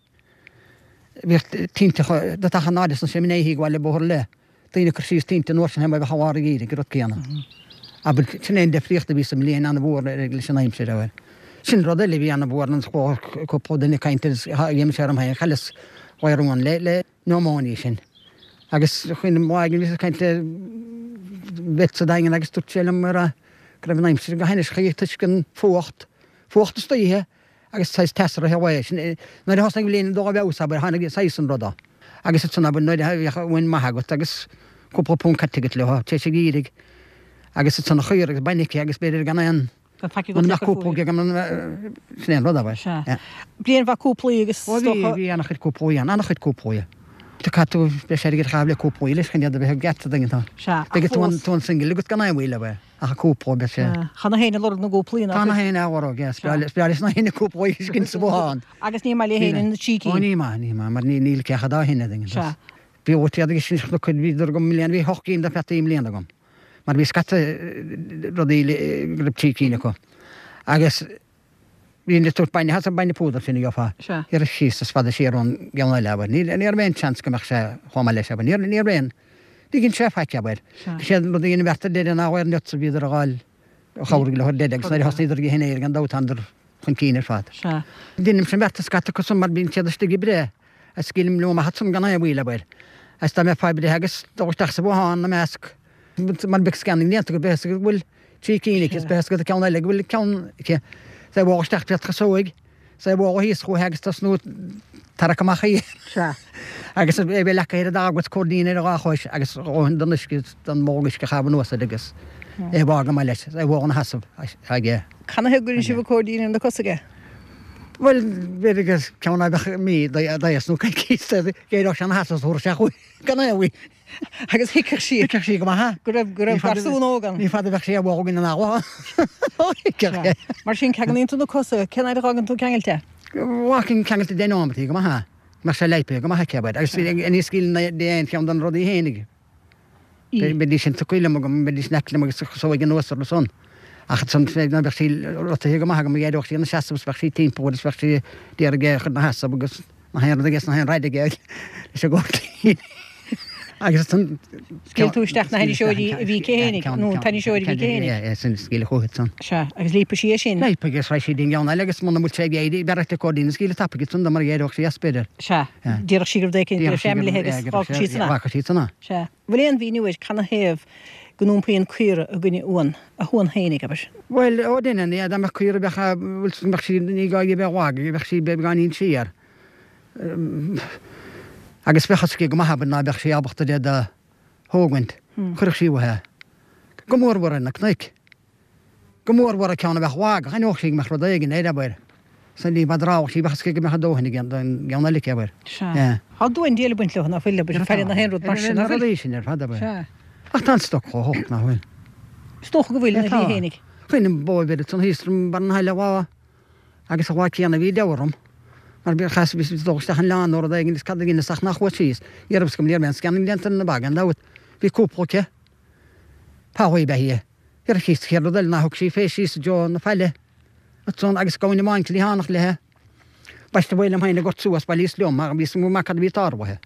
Bhíodh tinte do teach an áireas ansin mné thí abhaile bóthar le daoine ag cur síos tinte an uair sin mar bheadh i lár an gheimhridh an rud céanna. Abair, sin é an deifríocht a bhí sa mbliain an-mhór leis an aimsir, abair. Sin rud eile a bhí an-mhór an cúpla duine ag caint air dhein sé orm féin, chailleas gadhar uan le, le. pneumonia sin. Agus cuimhním lá éigin bhíos ag caint le vet sa Daingean agus dúirt sé liom go raibh an aimsir go hainnis chuige toisc an fuacht, fuacht istoíche agus saghas teas i rith an lae. Sin nuair a thosnaigh an bhliain ag dul i bhfeabhas abair tháinig saghas an ruda. Agus ansan abair nuair a bhíodh uain maith agat agus cúpla punt caite agat leo tar éis an gheimhridh agus ansan an chaora agus bainne aici agus b'fhéidir gan aon
Gan faic agat
le cur fúithi. Sin é an rud, abair.
Sea. Bliain mhaith cúplaí agus
is dócha. Ó bhí, bhí an-chuid cúplaí ann, an-chuid cúplaí. Caithfidh tú breis airgid a chaitheamh le cúplaí leis chun iad a bheith i gceart a duine atá.
Sea, ach
Beidh tú an single agat gan aon mhoill, abair, ach an cúpla, beidh sé.
Sea. Tá na héinne ag lorg na gcúplaí,
nach Tá na héinne á lorg, yeah. Is breá leis na héinne cúplaí a fheiscint sa bhothán.
Agus ní maith le héinne na trí cinn.
Ó ní maith, ní maith, mar níl cé acu dá shine a duine.
Sea.
Bhí iad agus sin na cuid, bhíodar agam i mbliana, bhí hocht gcinn de pheataí i mbliana agam. mar bhí scata rudaí go raibh trí cinn acu. Agus bhí an tabhairt bainne, as an bainne púdair sin a gheofá. Iarraidh síos is fada siar ón gceann eile, abair. Ní raibh aon seans go mbeadh sé chomh maith leis, abair. Ní raibh aon, ní dhein sé faic, abair. Is é an rud a dhein an bheart ar deireadh ná ar nuts a bhíodar a dh'fháil a chabhraigh leo ar deireadh agus nuair a thosnaíodar ag ithe an fhéir gan dabht thánadar chun cinn ar fad. Deinimse an bheart scata acu san mar bíonn siad istigh ag breith. Is scaoilim leo amach ansan gan aon mhoill, abair. Is dá mbeifeá ag breith agus dul isteach sa bhothán ina measc, mar bheadh scanning déanta agat, beidh a fhios agat go bhfuil trí cinn aici, is beidh a fhios agat an ceann eile go bhfuil ceann aici. Is é a bhualadh isteach fé chasóig, is é a bhualadh thíos chúithi agus tosnú ag tarrac amach í.
Sea.
Agus é bheith leagtha ar an dtalamh agus cóirdín ar a dhá chois agus a dhóthain den uisce, den bholg uisce a chaitheamh anuas air agus é a bhfágáil maith leis, is é a bhualadh ina sheasamh aige.
Canathaobh go gcuireann sibh an cóirdín ar na cosa aige?
Bhuel, b'fhéidir gur ceann a bheadh mí d'aos nó coicís d'éireodh sé ina sheasamh is thabharfadh sé chuige gan aon mhoill.
Agus thuigfeadh sí.
Thuigfeadh sí go maith.
Go raibh, go raibh garsún óg ann.
Ní fada a bheadh sí á bhfágaint ina leaba. Thuigfeadh
sé. Mar sin, ceanglaíonn tú na cosa, cén fhaid a dh'fhágann tú ceangailte
é? Fhágfainn ceangailte deich nóimeataí go maith é. Mbeadh sé leipthe go maith aici, abair. Agus ní scaoilfinn di aon cheann de na rudaí fhéinig. Bheidís sin tugtha liom agam, bheidís in aice liom agus chosóidh anuas orthu san. Ach ansan nuair a bheadh sí rotaithe go maith agam, éireodh sí ina seasamh is bheadh sí timpeall is bheadh sí d'iarraidh é a chur ina sheasamh agus na haon rud aige is na haon raic aige leis an gcóirdín. Agus
ansan. Scaoil tú isteach na hainniseoirí a bhí aici fhéinig, nó an t-ainniseoir a bhí aici fhéinig.
Yeah, sin scaoileadh chuici ansan.
Sea, agus leopfaidh sí é sin.
Leopfaidh agus raghaidh sí dtí'n gceann eile agus muna bhfuil sé ag éirí, b'fhearr duit an cóirdín a scaoileadh tapaidh ansan do mar éireodh sí as b'fhéidir.
Sea. Déarfadh sí go raibh rud éicint go raibh sé imithe agus fágfaidh sí san
é. Fágfaidh sí san
é. Sea. Bhfuil aon mhíniú air canathaobh go n-iompaíonn caora i gcoinne uan, a huan fhéinig, abair?
Bhuel, ó deineann, yeah, dá mbeadh caora bheadh, bhuel, bheadh sí, ní gá di a bheith lag, bheadh sí beagáinín siar. Agus bheadh fhios aici go maith, abair, ná beadh sí ábalta iad a thógaint. Chuirfeadh sí uaithi é. Go mórmhór ar na cnoic. Go mórmhór an ceann a bheadh lag, aithneodh sí go mbeadh rud éigin air, abair. San ní ba drámhach sí, bheadh fhios aici go mbeadh a dóthain ag an gceann eile aici, abair.
Sea. Tá duan diail ag baint leo, ná fuil, abair, faire na haon rud mar sin,
ná fuil? Na rudaí sin ar fad, abair.
Sea.
Ach tá an stoc chomh holc, ná fuil?
Is dócha go bhfuil, ina shlí fhéinig.
Chuimhnigh bó a bheir ansan thíos orm barr na haille lá, agus an lá céanna bhí deabhadh orm, mar bhí, chas, bhí dul isteach an oileán nó rud éigin is cad a dheineas ach nár chuas síos. Ní raibh fhios agam, ní raibh aon scanning déanta ar na ba, gan dabht. Bhí cúpla aici. Pallaí ab ea í. Ar an chéad rud eile ná thug sí fé síos i dtreo na faille ansan agus gamhain amháin cliathánach léithe. B'aisteach ba liom féin a gort suas, bhailíos liom, ach bhíos go maith cad a bhí tarlaithe.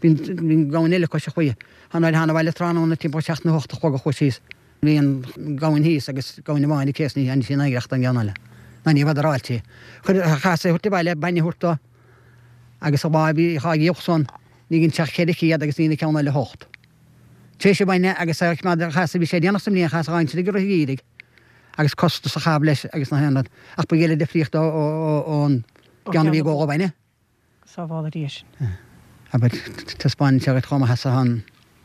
Bhí an gamhain eile cois an chlaí. Nuair a thána abhaile tráthnóna timpeall seacht nó hocht a chlog a chuaigh síos. Bhí an gamhain thíos agus gamhain amháin aici is ní dhearna sí in oidhreacht an gceann eile. Ná ní bhfadaráilte í. Chuir, chaitheas é a thabhairt abhaile, bainne a thabhairt dó agus an lá a bhí dhá dhíol san, ní dhein sé ach 400 agus ní an ceann eile hocht. Tar éis an bhainne agus a choimeád, chaitheas, bhí sé déanach sa mbliain, chaitheas a dh'aimsir ag rith an gheimhridh agus costas a chaitheamh leis agus na haon rud. Ach ba ghile difríocht ón gceann a bhí ag ól an bhainne.
Sábhála Dia sinn.
Abair, taispeánann sé dhuit chomh maith is atá an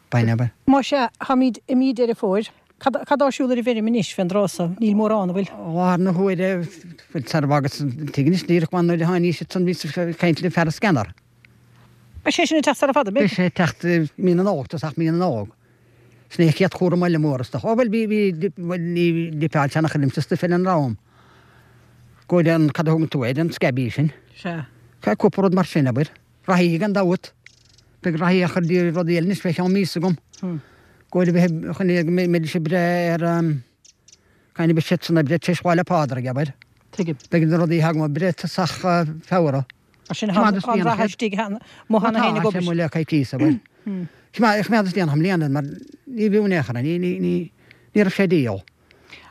bainne, abair.
Más ea, táimid i mí Deireadh Fómhair. Cad atá ar siúl ar an bhfeirm anois fén dtráth so? Níl mórán, an bhfuil?
Láthair na huaire, bhuel, sar a bhfágas an tigh anois, díreach mar nuair a tháinís ansan bhíos ag caint le fear an scanner.
Beidh sé sin ag teacht sara fada,
beidh? Beidh sé ag teacht i mí na Nollag, tosach mí na Nollag. Sin é an chéad chúram eile mór is dócha. Ó bhuel, bhí, bhí, bhuel, ní dippeáil seanchur liomsa stuif eile an raibh. Go bhfuil an, cad a thugann tú air, an scabies sin.
Sea.
Cúpla rud mar sin, abair. Reathaí gan dabht. Beidh reathaí á chur de rudaí eile anois fé cheann míosa agam. Go bhfuil a bheith chun go mbeidís ag breith ar an, caithfidh beidh siad san ag breith tar éis Lá 'le Pádraig, abair.
Tuigim.
Beidh na rudaí agam ag breith tosach Feabhra.
Mar sin, tá an rath istigh amuigh cheana féin ag obair.
Tá sé amuigh le coicíos, abair. Choimeádas déanach i mbliana mar ní bhfiú in aon chor é, ní raibh sé díol.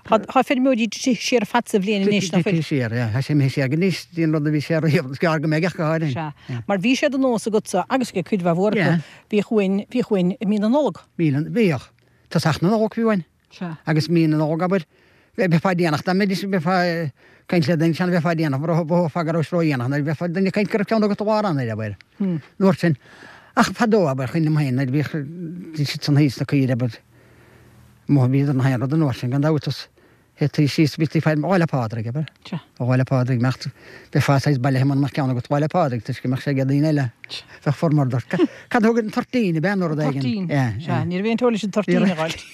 Tá feirmeoirí tite siar ar fad sa bhliain anois, nach bhfuil?
Tite siar, yeah. Tá sé imithe siar go níos dtí an rud a bhí sé riamh, is gearr go mbeidh ach go háirithe.
Sea. Mar bhí sé de nós agatsa, agus ag cuid mhaith mhór acu, bhíodh uain, bhíodh uain i mí na Nollag.
Mí na, bhíodh. Tosach na Nollag bhí uain.
Sea.
Agus mí na Nollag, abair, bheifeá déanach, dá mbeidís, bheifeá ag caint le duine, sean, bheifeá déanach, mhothófá go rabhais ródhéanach, nuair a bheifeá, duine ag caint go raibh ceann agat i lár Eanáir, abair. An uair sin. Ach fadó, abair, cuimhin liom féin, nuair a bhíodh, bhí siad san thíos sna caoirigh, abair, Amuigh bhíodar na haon rud an uair sin gan dabht is théití síos bhítí fá Lá 'le Pádraig, abair?
Sea.
Lá 'le Pádraig mbeadh, bheifeá saghas bailithe mura mbeadh ceann agat Lá 'le Pádraig toisc go mbeadh sé ag daoine eile, bheadh formhór dort. Cad a thug an toirtín, ab ea nó rud éigin?
Toirtín, sea, ní raibh aon teoir leis an toirtín a dh'fháilt.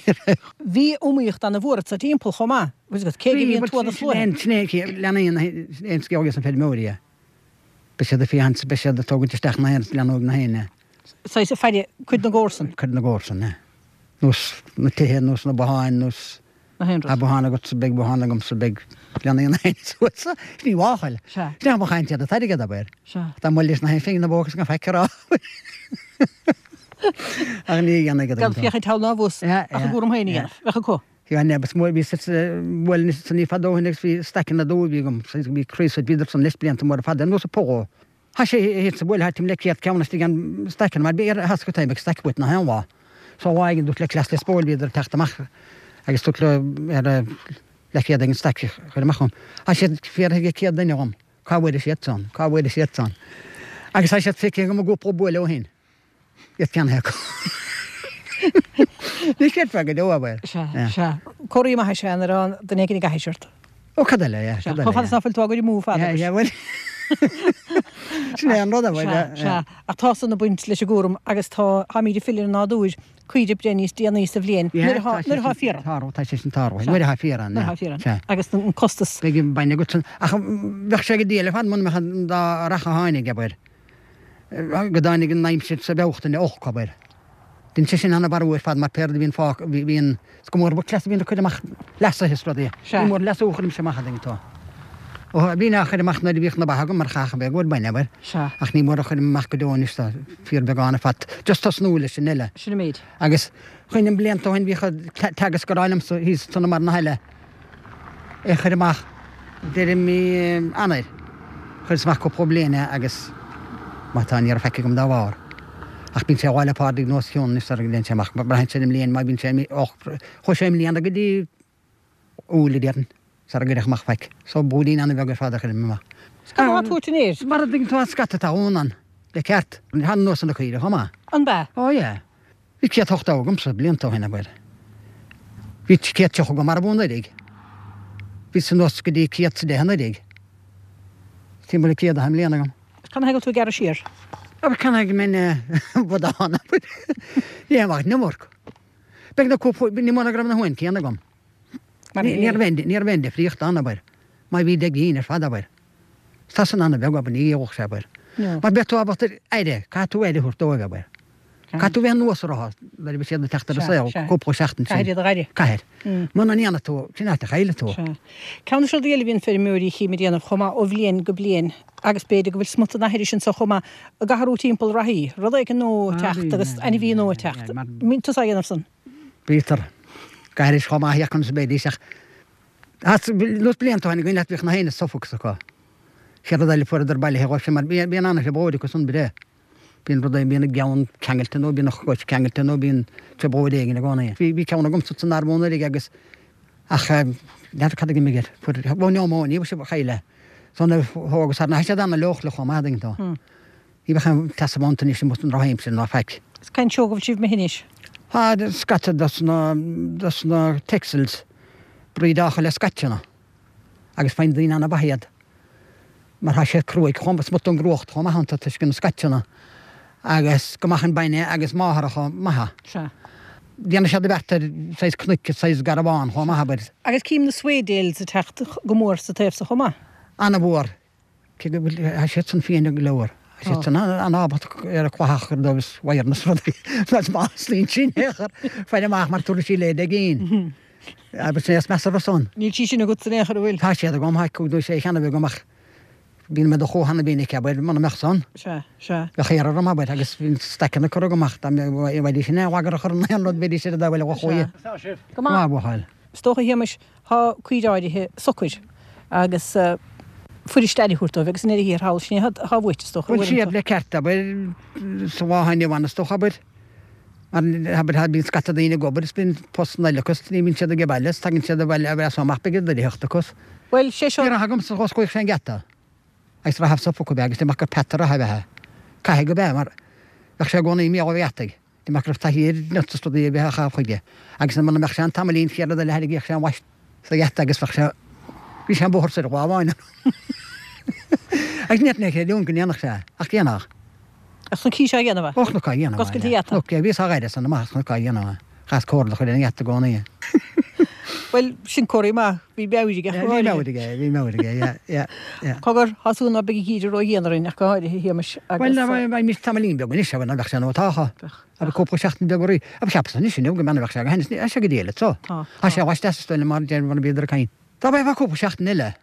Bhí iomaíocht ana mhór sa timpeall chomh maith, bhfuil fhios agat, cé go bhí an tuath na sluaithe.
Sin é, leanaí aon scéal ages na feirmeoirí é. Beidh siad ag féachaint, beidh siad ag tógaint isteach na haon, leanóidh na haon.
Saghas ag faire cuid na gcomharsan.
Cuid na gcomharsan, yeah. Nós na tithe, nós na botháin, nós.
Na haon rud.
Tá bothán agatsa, beidh bothán agamsa, beidh leanaí na haon suas. Sin í mháchail.
Sea.
Sin é mo chaint ar an t-airgead, abair.
Sea.
Dá mbuailfeadh leis na haon phingin na bó agus gan faic a rá. Ach ní dhéanfaidh
Gan féachaint thall ná abhus
ach
a gcúram féin a dhéanamh. Bheadh acu.
Bhí an is mór, bhí bhuel anois san fadó ó shin agus bhí staiceanna dubha a bhí agam, bhí craos bhíodar san leis blianta móra fada, ar nós an pogó. Thá sé thíos sa bhuaile, thá timpeall le 100 ceann istigh ann staiceanna mar bhí ar theasc taobh ag staic uait nach aon lá. So lá éigin dúirt le cleas le spóil bhíodar ag teacht amach agus dúirt leo ar leathchéad ag an staic a chur amach dhom. Thá siad fiafraithe ag 100 duine dhom cá bhfuair siad san, cá bhfuair siad san. Agus thá siad feicthe agam i gcúpla buaile ó shin. Iad ceannaithe acu. Ní chreidfeá go deo, abair.
Sea, sea. Comhartha maith is ea nuair atá duine éigin ag aithris ort.
Ó, cad eile, yeah,
cad eile. Chomh fada is ná fuil tú á gcur amú fada.
Yeah, yeah, bhuel. Sin é an rud, abair.
Sea, sea. Ach tá san ag baint leis an gcúram agus tá, táimid ag filleadh ar an nádúr, caoirigh ag breith níos déanaí sa bhliain, nuair atá, nuair atá féar
ann. Tá sé sin tarlaithe, nuair atá féar ann,
Nuair atá féar ann. Sea. Agus an costas.
Beidh an bainne agat san, ach bheadh sé go diail ar fad muna mbeadh an dá rath a tháinig, abair. go dtáinig an aimsir sa Bhealtaine olc, abair. Dhein sé sin ana-mharú ar fad mar pé rud a bhíonn fágtha, bhíonn, is go mór ba cleas a bhíonn ag cur amach leasaithe is rudaí.
Sea.
Ní mór leasú a chuirimse amach a dtuigeann tú. Ó, bhínn á chur amach nuair a bhíodh na ba agam mar chaithfeadh a bheith i gcomhair bainne, abair.
Sea.
Ach ní mór a chuirim amach go deo anois, tá fíorbheagán ar fad. Just tosnú leis an eile.
Sin an méid.
Agus cuimhním blianta ó shin bhíodh Teagasc ag rá liomsa thíos ansan i mBarr na hAille, é a chur amach deireadh mí Eanáir. Chuireas amach cúpla bliain é agus má tá ní raibh faic agam dá bharr. Ach bíonn sé Lá 'le Pádraig nó os cionn anois sara dtéann sé amach. Braitheann sé ar an mbliain má bhíonn sé och chuaigh sé i mbliana go dtí Iúil a déarfainn sara gcuirfeadh amach faic. So blúirín an-bheag ar fad a chuirim amach.
Cad atá tabhairt an fhéir?
Mar a dtuigeann tú an scata atá ann le ceart. Tá nós na caoirigh chomh maith.
An bea?
Ó yeah. Bhí 180 agamsa blianta ó shin, abair. Bhí 130 agam marbh anuraidh. Bhí anuas go dtí 110 anuraidh. Timpeall le 100 i mbliana agam.
Cad ina thaobh go bhfuil tú ag gearradh siar?
Abair cad ina thaobh go mbeinn bodhán, abair. Ní dhéanfainn ach an iomarca. Beagnach cúpla, ní mór ná go raibh na huain céanna agam. Ní raibh aon, ní raibh aon difríocht ann, abair. Má bhí 10 gcinn ar fad, abair. Tá san an-bheag, abair, ní gheobhadh sé, abair. Mar beidh tú ábalta aire, caithfidh tú aire a thabhairt dóibh, abair. Caithfidh tú bheith anuas orthu nuair a bheidh siad ag teacht ar an saol, cúpla seachtain sin.
Caithfidh iad a dh'aire.
Caithfidh. Muna ndéanfaidh tú, sin áit a chaillfidh tú.
Sea. Ceann de na rudaí eile a bhíonn feirmeoirí chím ag déanamh chomh maith ó bhliain go bliain, agus b'fhéidir go bhfuil smut den aithris anso chomh maith, ag athrú timpeall reathaí, rud éigin nua ag teacht agus ainmhí nua ag teacht. Mbíonn tusa á dhéanamh san?
Bítear. Ag aithris chomh maith conas a bheidís ach nós blianta ó shin againn bhíodh na héinne Suffolks acu. Sé rud eile fuaireadar bailithe dhóibh sin mar bíonn an-thrioblóid acu san breith. Bíonn rud bíonn a gceann ceangailte nó bíonn a chois ceangailte nó bíonn trioblóid éigin i gcónaí. Bhí ceann agamsa san arm anuraidh agus ach n'fheadar cad a d'imigh air. Fuair ó niúmóinia a chaill é. So nuair a thógas thar na siad an-leochaileach chomh maith dtuigeann tú. Ní bheadh aon tseasamh iontu anois amuigh san drochaimsir ná faic.
Is cén seó go bhfuil sibh imithe anois?
Tá scata dos na dos na Texels breed-áilte le scaiteanna agus faigheann daoine an-mhaith iad mar tá siad cruaidh chomh maith, smut den gcruacht chomh maith iontu toisc na scaiteanna agus go maith an bainne agus máthaireacha maithe.
Sea.
Déanann siad a bheart ar saghas cnoic is saghas garbhán chomh maith, abair.
Agus cím na Swaledales ag teacht go mór sa taobh so chomh maith.
An-mhór. Cé go bhfuil, tá siad san fiain go leor. Tá siad san an-ábalta ar an chlathach a chur dóibh is wire-na is rudaí. Is maith sin sin é a chur faire amach mar tabharfaidh sí leid ag éin. Agus sin é is measa san.
Níl sí sin agat san aon chor, an bhfuil?
Tá siad agam, tá cúig nó sé cheann agam ach bíonn mé do chomh hana mhinic, abair, muna mbeadh san.
Sea, sea.
Bheadh iarraidh orm, abair, agus bhí staiceanna curtha agam ach dá mbeidís in aon bhagar a chur in aon rud bheidís ar an dá bhfuil a
chuaigh.
Sea. Go maith. Go maith, a bhuachaill.
Is dócha, a Shéamais, Tá caoirigh áirithe socair agus fuirist aire a thabhairt dóibh agus i ndeireadh thiar thall sin é atá uait is dócha
Bhuel siad le ceart abair sa lá inniu ann is dócha abair mar abair tá bíonn scata daoine ag obair is bíonn postanna eile acu is ní bhíonn siad ag baile is tagann siad abhaile as so amach beidh a theacht acu.
Bhuel sé seo.
Bhí rath agamsa dh'osclaíodh sé an geata agus rath Suffolk ab ea agus de mac gur peata rath ab ea é. Caithfidh go b'ea mar bheadh sé i gcónaí imithe ó gheataigh. De mac go raibh taithí ar nuts is rudaí a bheith á chaitheamh chuige, agus muna mbeadh sé ann tamaillín chéad rud eile thairgíodh sé an mhaise sa gheata agus bheadh sé, bhí sé an bóthar soir lá amháin agus ní fhéadfainn a chreidiúint go ndéanfadh sé é, ach dhéanfadh.
Ach chonaic sé á dhéanamh é?
Ó chonac á dhéanamh é,
Ag oscailt an gheata?
Chonac, yeah, bhíos á ghaire san amach is chonac á dhéanamh é. Chaitheas comhardach ar an gheata i gcónaí.
Bhuel, sin comhartha maith, bhí meabhair aige,
Bhí meabhair aige, bhí meabhair aige, yeah, yeah, yeah.
Cogar, tá súil ná beidh an geimhreadh ródhian orainn ach go háirithe, a Shéamais,
agus. Bhuel, beidh tamaillín beag anois, abair, ná beadh sé nó tá,
Beadh.
abair cúpla seachtain beag orainn. Abair, cheapas anois inniu go mbeann, bheadh sé go hainnis, tá sé go diail anso.
Tá,
Tá sé laisteas is dóigh liom mar deir mar a bhíodar ag caint. Dá mbeifeá cúpla seachtain eile.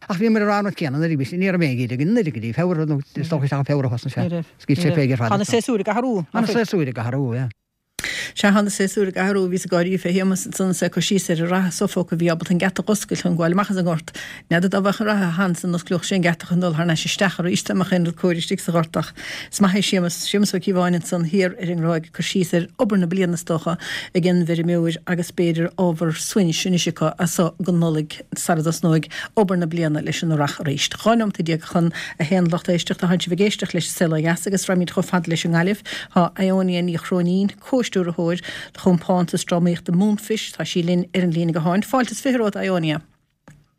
Ach bhíomar ag rá an rud céanna anuraidh, bhí, ní raibh aon gheimhreadh againn anuraidh go dtí Feabhra nó is dócha isteach i Feabhra a thosnaigh sé.
Ní raibh,
Is
ní
sé
raibh.
féig ar fad
Tá na
anso.
séasúir ag athrú,
Tá na
nach bhfuil?
séasúir ag athrú, yeah.
Sea, tá na séasúir ag athrú, bhíos ag gáirí fé Shéamus ansan is é ag cur síos ar an reatha Suffolk a bhí ábalta an geata dh'oscailt chun gabháil amach as an ngort. N'fheadar dá bheadh an reatha ann san osclódh sé an geata chun dul thar n-ais isteach arís dá mbeadh aon rud cóir istigh sa ghort ach is maith é Séamus, Séamus Ó Cíobháin ansan thiar ar an nGráig ag cur síos ar obair na bliana is dócha ag an bhfeirmeoir agus b'fhéidir ábhar suaimhnis anois acu as so go Nollaig sara dtosnóidh obair na bliana leis an earrach arís. 12 nóimeata chun a haon lucht éisteachta, tánn sibh ag éisteacht leis an Saol Ó Dheas agus raghaimid chomh fada leis an nGaillimh. Tá Ionia Ní Chróinín, comhstiúrthóir do chompántas drámaíochta Moonfish, tá sí linn ar an líne gutháin. Fáilte is 20 romhat, Ionia.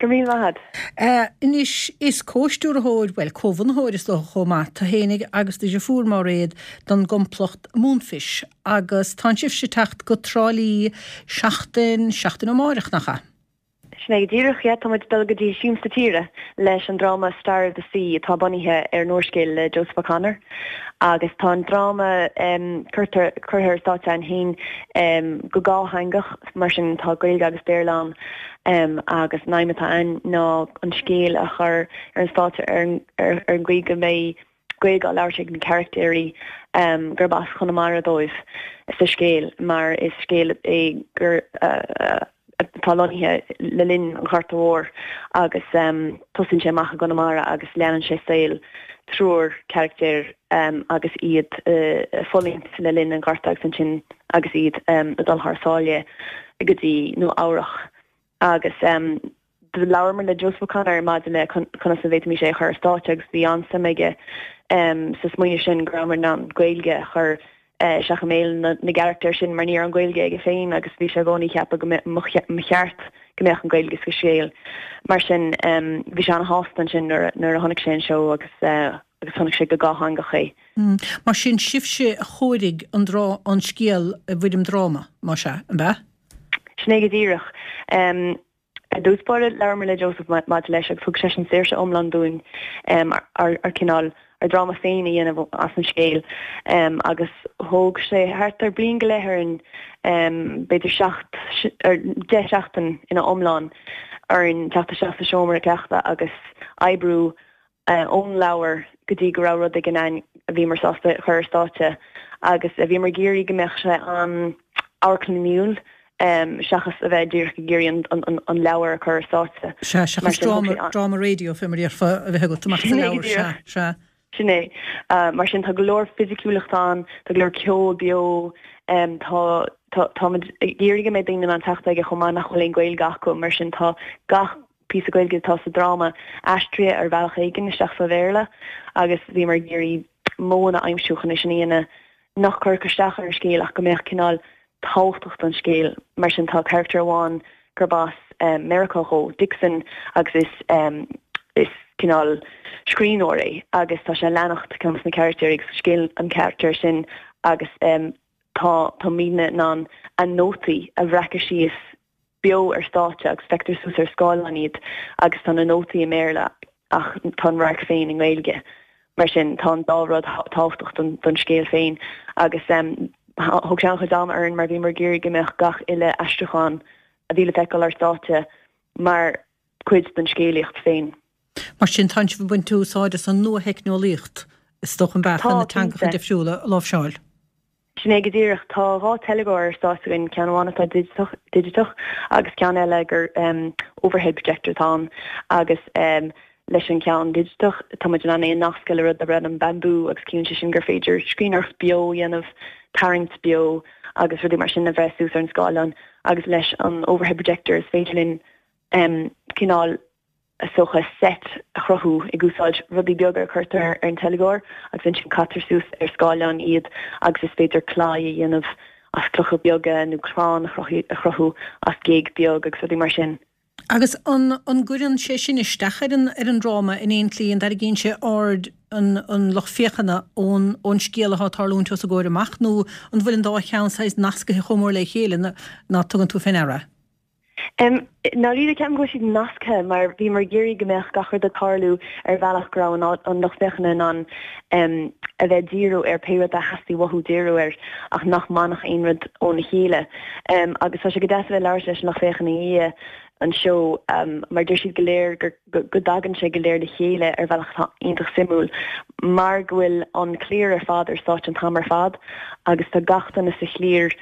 Go raibh míle maith
agat. Anois, is comhstiúrthóir, bhuel, comhbhunaitheoir is dócha chomh maith, tú fhéinig agus do dhriofúr Máiréad don gcomplacht Moonfish agus tánn sibhse ag teacht go Trá Lí seachtain, seachtain ó amáireach, nach ea?
Sin é go díreach, yeah. Tá muid ag dul go dtí Siamsa Tíre leis an dráma Star of the Sea atá bunaithe ar an úrscéal le Joseph O'Connor agus tá an dráma curtha curtha ar stáitse againn féin go dhátheangach mar sin tá Gaeilge agus Béarla ann agus an aidhm atá ann ná an scéal a chur ar an stáitse ar ar an gcaoi go mbeidh Gaeilge á labhairt ag na carachtéirí gurb as Conamara dóibh sa scéal mar is scéal é gur atá lonnaithe le linn an Ghorta Mhóir agus tosaíonn sé amach i gConamara agus leanann sé saol triúr carachtéir agus iad ag fulaingt le linn an Ghorta agus ansin agus iad ag dul thar sáile go dtí Nua Eabhrach agus do labhramar le Joseph O'Connor maidir le conas a bhféadfaimis é a chur ar stáitse agus bhí an-suim aige sa smaoineamh sin go rabhamar in ann Gaeilge a chur isteach i mbéal na gcarachtar sin mar ní raibh an Ghaeilge aige féin agus bhí sé i gcónaí ag ceapadh go mba cheart go mbeadh an Ghaeilge sa scéal. Mar sin bhí sé an-shásta ansin nuair a chonaic sé an seó agus agus chonaic sé go dhátheangach é.
Mar sin sibhse a chóirigh an drá an scéal i bhfoirm dráma, más ea, an b'ea?
Sin é go díreach. Ar dtús báire, labhramar le Joseph maidir leis agus thug seisean saoirse iomlán dúinn ár cineál.
ár dráma féin a dhéanamh as an scéal agus thóg sé thart ar bliain go leith orainn, b'fhéidir seacht, 10 seachtain ina iomlán orainn teacht isteach sa seomra cleachta agus oibriú ón leabhar go dtí go raibh rud éigin ann a bhíomar sásta a chur ar stáitse agus bhíomar ag iarraidh go mbeadh sé an-amharclannaíúil seachas a bheith díreach ag iarraidh an leabhar a chur ar stáitse.
Sea, seachas dráma raidió, fé mar a déarfá, a bheith agat amach as an leabhar, sea, sea.
Sin é. Mar sin tá go leor fisiciúlacht ann, tá go leor ceol beo, tá, táimid ag iarraidh go mbeidh daoine in ann teacht aige chomh maith nach bhfuil aon Ghaeilge acu, mar sin tá gach píosa Gaeilge atá sa dráma aistrithe ar bhealach éigin isteach sa Bhéarla agus bhíomar ag iarraidh modhanna a aimsiú chun é sin a dhéanamh nach gcuirfeadh isteach ar an scéal ach go mbeadh cineál tábhachtach don scéal. Mar sin tá carachtar amháin gurb as Meiriceá dhó, Dixon, agus is is cineál scríbhneoir é agus tá sé ag leanacht ceann de na carachtair agus scéal an charachtair sin agus tá táimidne in ann a nótaí a bhreacadh síos beo ar stáitse agus feictear suas ar scáileán iad agus tá na nótaí i mBéarla ach tá an radharc féin i nGaeilge. Mar sin tá an dá rud tábhachtach don scéal féin agus thóg sé an-chuid ama orainn mar bhíomar ag iarraidh go mbeadh gach uile aistriúchán a bhí le feiceáil ar stáitse mar chuid den scéalaíocht féin.
Mar sin tánn sibh ag baint úsáid as an nua-theicneolaíocht is dócha an bealach chun na teangacha difriúla a láimhseáil.
Sin é go díreach. Tá 2 teilgeoir ar stáitse againn, ceann amháin atá digiteach agus ceann eile gur overhead projector atá ann agus leis an cheann digiteach tá muid in ann é a nascadh le rud darb ainm Bamboo agus ciallaíonn sé sin gur féidir scríbhneoireacht beo a dhéanamh, tarraingt beo agus rudaí mar sin a bhreith suas ar an scáileán agus leis an overhead projector is féidir linn cineál is dócha, seit a chruthú ag úsáid rudaí beaga a chuirtear ar an teilgeoir agus ansin caitear suas ar scáileán iad agus is féidir claí a dhéanamh as clocha beaga nó crann a chruthú as géag beag agus rudaí mar sin.
Agus an an gcuireann sé sin isteach ar an ar an dráma in aon tslí, an dtarraingíonn sé aird an an lucht féachana ón ón scéal atá ag tarlúint os a gcomhair amach nó an bhfuil an dá cheann saghas nascaithe chomh mór le chéile ná tugann tú fé ndeara é?
I ndáiríre, ceapaim go bhfuil siad nasctha mar bhíomar ag iarraidh go mbeadh gach rud ag tarlú ar bhealach go raibh an lucht féachana in ann a bheith ag díriú ar pé rud a theastaigh uathu díriú air ach nach mbainfeadh aon rud óna chéile. Agus tá sé go deas a bheith ag labhairt leis an lucht féachana i ndiaidh an seó mar deir siad go léir gur go dtagann sé go léir le chéile ar bhealach atá iontach suimiúil mar go bhfuil an chliar ar fad ar stáitse an t-am ar fad agus tá gach duine sa chliar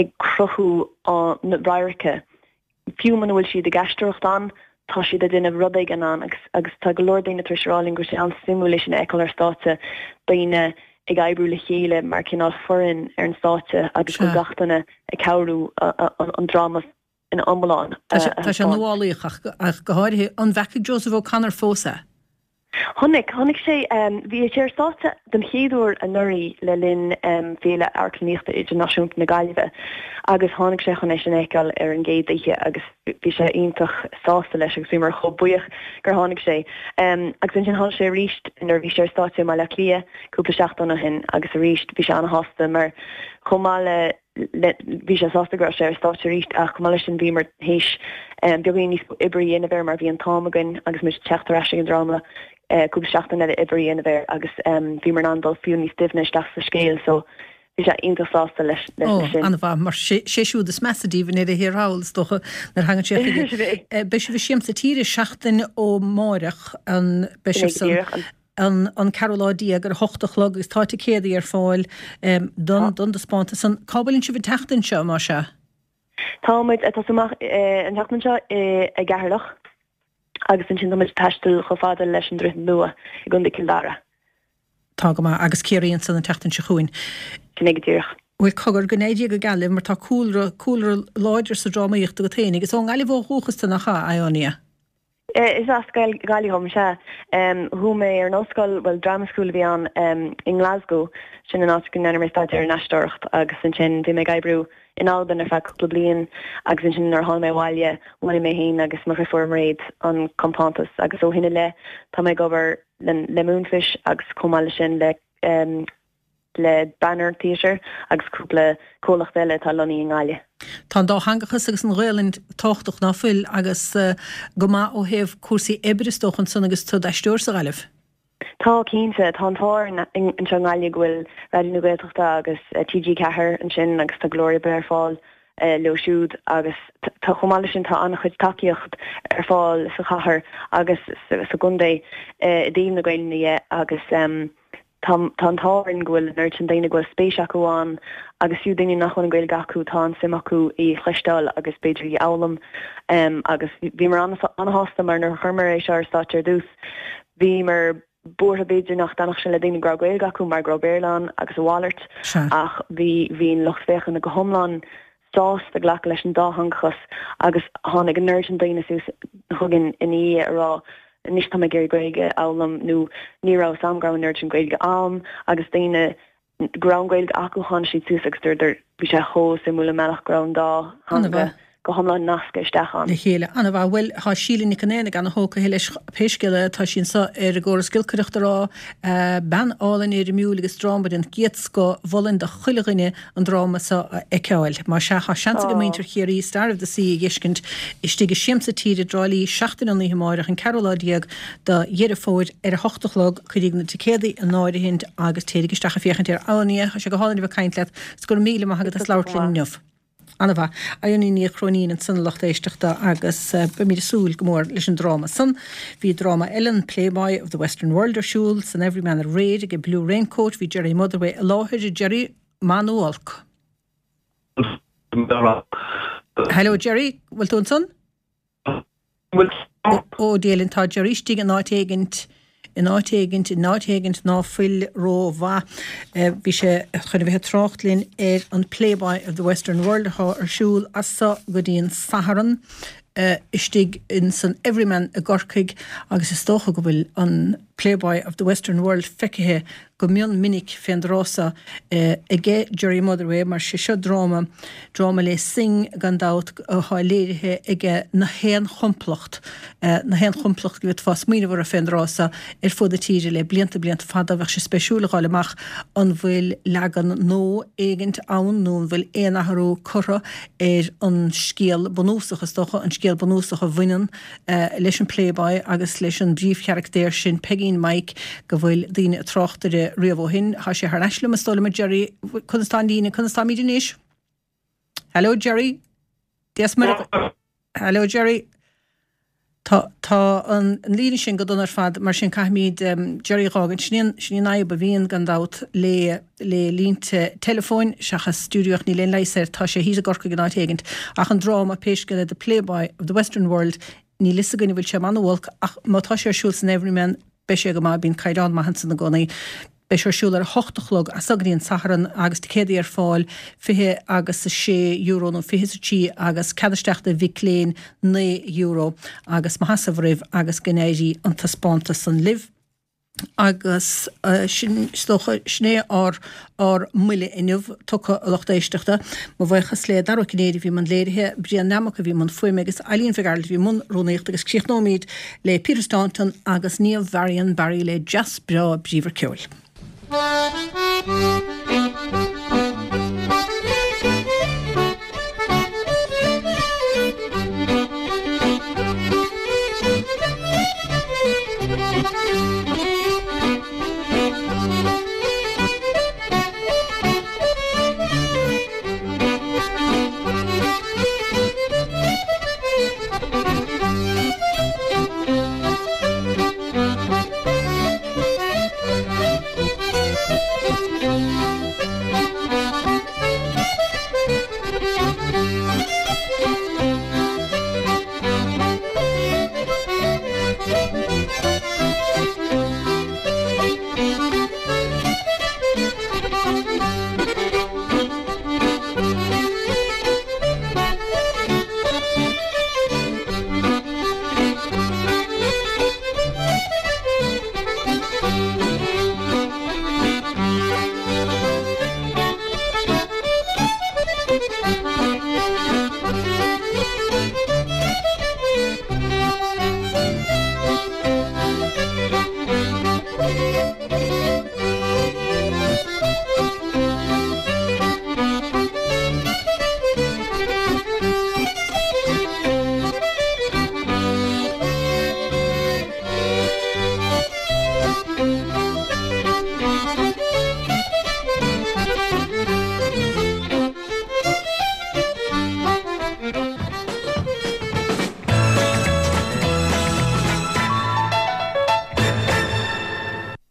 ag cruthú an radhairce. Fiú muna bhfuil siad ag aisteoireacht ann, tá siad ag déanamh rud éigin ann agus agus tá go leor daoine tar éis a rá linn go bhfuil sé an-suimiúil é sin a fheiceáil ar stáitse, daoine ag oibriú le chéile mar cineál foireann ar an stáitse agus go bhfuil gach duine ag cabhrú an dráma ina iomlán
a Tá sé nuálaíoch ach go háirithe. An bhfeacaigh Joseph O'Connor fós é?
Chonaic, chonaic sé, bhí sé ar stáitse den chéad uair anuraidh le linn Féile Amharclannaíochta Idirnáisiúnta na Gaillimhe agus tháinig sé chun é sin a fheiceáil ar an gcéad oíche agus bhí sé iontach sásta leis agus bhíomar chomh buíoch gur tháinig sé. Agus ansin tháinig sé arís nuair a bhí sé ar stáitse i mBaile Átha Cliath cúpla seachtain ó shin agus arís bhí sé an-shásta mar chomh maith le bhí sé sásta go raibh sé ar stáitse arís ach chomh maith leis sin bhíomar théis beagáinín níos mó oibre a dhéanamh air mar bhí an t-am againn agus muid ag teacht ar ais ag an dráma cúpla seachtain eile oibre a dhéanamh air agus bhíomar in ann dul fiú níos doimhne isteach sa scéal so bhí sé iontach sásta leis
sin. Ó, an-mhaith, mar sé siúd is measa díobh i ndeireadh thiar thall is dócha nuair a thagann sé chuige. Beidh sibh i Siamsa Tíre seachtain ó mháireach, an beidh sibh san? an an ceathrú lá déag ar a hocht a chlog agus tá ticéadaí ar fáil don don dtaispeántas san. Cá bhfuileann sibh an tseachtain seo, más ea?
Tá muid ag tosú amach an tseachtain seo i gCeatharlach agus ansin tá muid ag taisteal chomh fada leis an Droichead Nua i gContae Chill Dara.
Tá go maith. Agus Ciarraí ansan an tseachtain seo chugainn.
Sin é go díreach.
Bhuel, cogar, go n-éirí go geal libh mar tá cúlra, cúlra láidir sa drámaíocht agat féinig. Is ón nGaillimh ó dhúchas tú, nach ea, Ionia?
Is as Gaillimh dhom, sea. Chuaigh mé ar an ollscoil, bhuel, drama school a bhí ann, i nGlasgow, sin an áit go ndearna mé staidéar in aisteoireacht agus ansin bhí mé ag oibriú in Albain ar feadh cúpla bliain agus ansin nuair a tháinig mé abhaile bhunaigh mé féin agus mo dhriofúr Mairéad an compántas agus ó shin i leith tá mé ag obair le Moonfish agus chomh maith leis sin le le Banner Theatre agus cúpla comhlacht eile atá lonnaithe i nGaillimh.
Tá an dátheangachas agus an Ghaelainn tábhachtach ná fuil agus go maith ó thaobh cúrsaí oibre is dócha ansan agus tú i d'aisteoir sa Ghaillimh.
Tá, cinnte. Tá an t-ádh orainn anseo i nGaillimh go bhfuil Raidió na Gaeltachta agus TG4 ansin agus tá go leor oibre ar fáil leo siúd agus tá, chomh maith leis sin tá an-chuid tacaíocht ar fáil sa chathair agus sa gcontae i dtaobh na Gaelainne dhe agus tá tá an t-ádh orainn go bhfuil an oiread sin daoine go bhfuil spéis acu ann agus fiú daoine nach bhfuil an Ghaeilge acu tá an suim acu í a chloisteáil agus b'fhéidir í a fhoghlaim agus bhíomar an-sásta mar nuair a chuireamar é seo ar stáitse ar dtús bhíomar buartha b'fhéidir nach dtaitneodh sé le daoine go raibh Gaeilge acu mar go raibh Béarla ann agus a mhalairt ach bhí bhí an lucht féachana go hiomlán sásta glacadh leis an dátheangachas agus tháinig an oiread sin daoine suas chugainn ina dhiaidh a rá anois tá mé ag iarraidh Gaeilge a fhoghlaim nó ní raibh 'fhios a'm go raibh an oiread sin Gaeilge a'm agus daoine go raibh an Ghaeilge acu tháinig siad suas agus dúradar bhí sé chomh suimiúil an bealach go raibh an dá theanga go hiomlán nasctha isteach ann.
le chéile. An-mhaith. Bhuel, tá Síle Nic an Aonaigh ana-thógtha leis pé scéal é, tá sí anso ar an gcóras giolcaireachta ag rá, bean álainn éirimiúil agus dráma den gcéad scoth, mholfainn do chuile dhuine an dráma so a fheiceáil. Má sea, tá seans ag muintir Chiarraí Star of the Sea a dh'fheiscint istigh i Siamsa Tíre i dTrá Lí seachtain ón oíche amáireach, an ceathrú lá déag de Dheireadh Fómhair ar a hocht a chlog. Cuiríg na ticéadaí in áirithint agus téirig isteach ag féachaint air. Ionia, tá sé go hálainn a bheith ag caint leat 's go raibh míle maith agat as labhairt linn inniu. Ana-mhaith. Ionia Ní Chróinín ansan a lucht éisteachta agus beimid ag súil go mór leis an dráma san. Bhí dráma eile, an Playboy of the Western World ar siúl san Everyman aréir ag Blue Raincoat. Bhí Gerry Motherway i láthair. Gerry, maith nó olc? Hello Gerry, bhfuil tú ansan? Ó, Dia linn, tá Gerry istigh in áit éigint, in áit éigint, in áit éigint ná fuil ró-mhaith. Bhí sé chun a bheith ag trácht linn ar an Playboy of the Western World atá ar siúl as so go dtí an Satharn istigh in san Everyman i gCorcaigh agus is dócha go bhfuil an Playboy of the Western World feicthe go mion minic fén dtráth so aige Gerry Motherway mar sé seo dráma, dráma le Synge gan dabht athá léirithe aige na haon chomplacht, na haon chomplacht go bhféadfá smaoineamh orthu fén dtráth so ar fud na tíre le blianta, blianta fada. Bheadh sé spéisiúil a dh'fháil amach an bhfuil leagan nua éigint ann nó an bhfuil aon athrú curtha ar an scéal bunúsach, is dócha, an scéal bunúsach a bhaineann leis an Playboy agus leis an bpríomhcharactéir sin, Peigín Mike, go bhfuil daoine ag trácht air riamh ó shin. Tá sé thar n-ais liom, is dóigh liom, a Gerry. Conas tá an líne? Conas táimid anois? Hello, Gerry. Dia 's Muire. Hello, Gerry. Tá, tá an líne sin go dona ar fad, mar sin caithfimid Gerry a dh'fhágaint. Sin í an, sin í an fhadhb a bhíonn, gan dabht, le. le línte teileafóin seachas stiúideo ach níl aon leigheas air, tá sé thíos i gCorcaigh in áit éigint. Ach an dráma, pé scéal é, The Playboy of the Western World, níl fhios againn an bhfuil sé maith nó olc ach má tá sé ar siúl san Everyman beidh sé go maith, bíonn caighdeán maith ansan i gcónaí. Beidh sé ar siúl ar a hocht a chlog as so go dtí an Satharn agus ticéadaí ar fáil, 20 agus €6 nó 23 agus cead isteach do mhic léinn €9 agus mo sheasamh oraibh agus go n-éirí an taispeántas san libh. Agus sin, is dócha, sin é ár, ár mbuille inniu tugtha, a lucht éisteachta. Mo bhuíochas le Dara Ó Cinnéide a bhí i mbun léirithe, Brian Nammock a bhí i mbun fuaime agus Eileen Mhic Gearailt a bhí i mbun rúnaíochta agus críochnóimid le Peter Staunton agus Niamh Varian Barry le dreas breá bríomhar ceoil.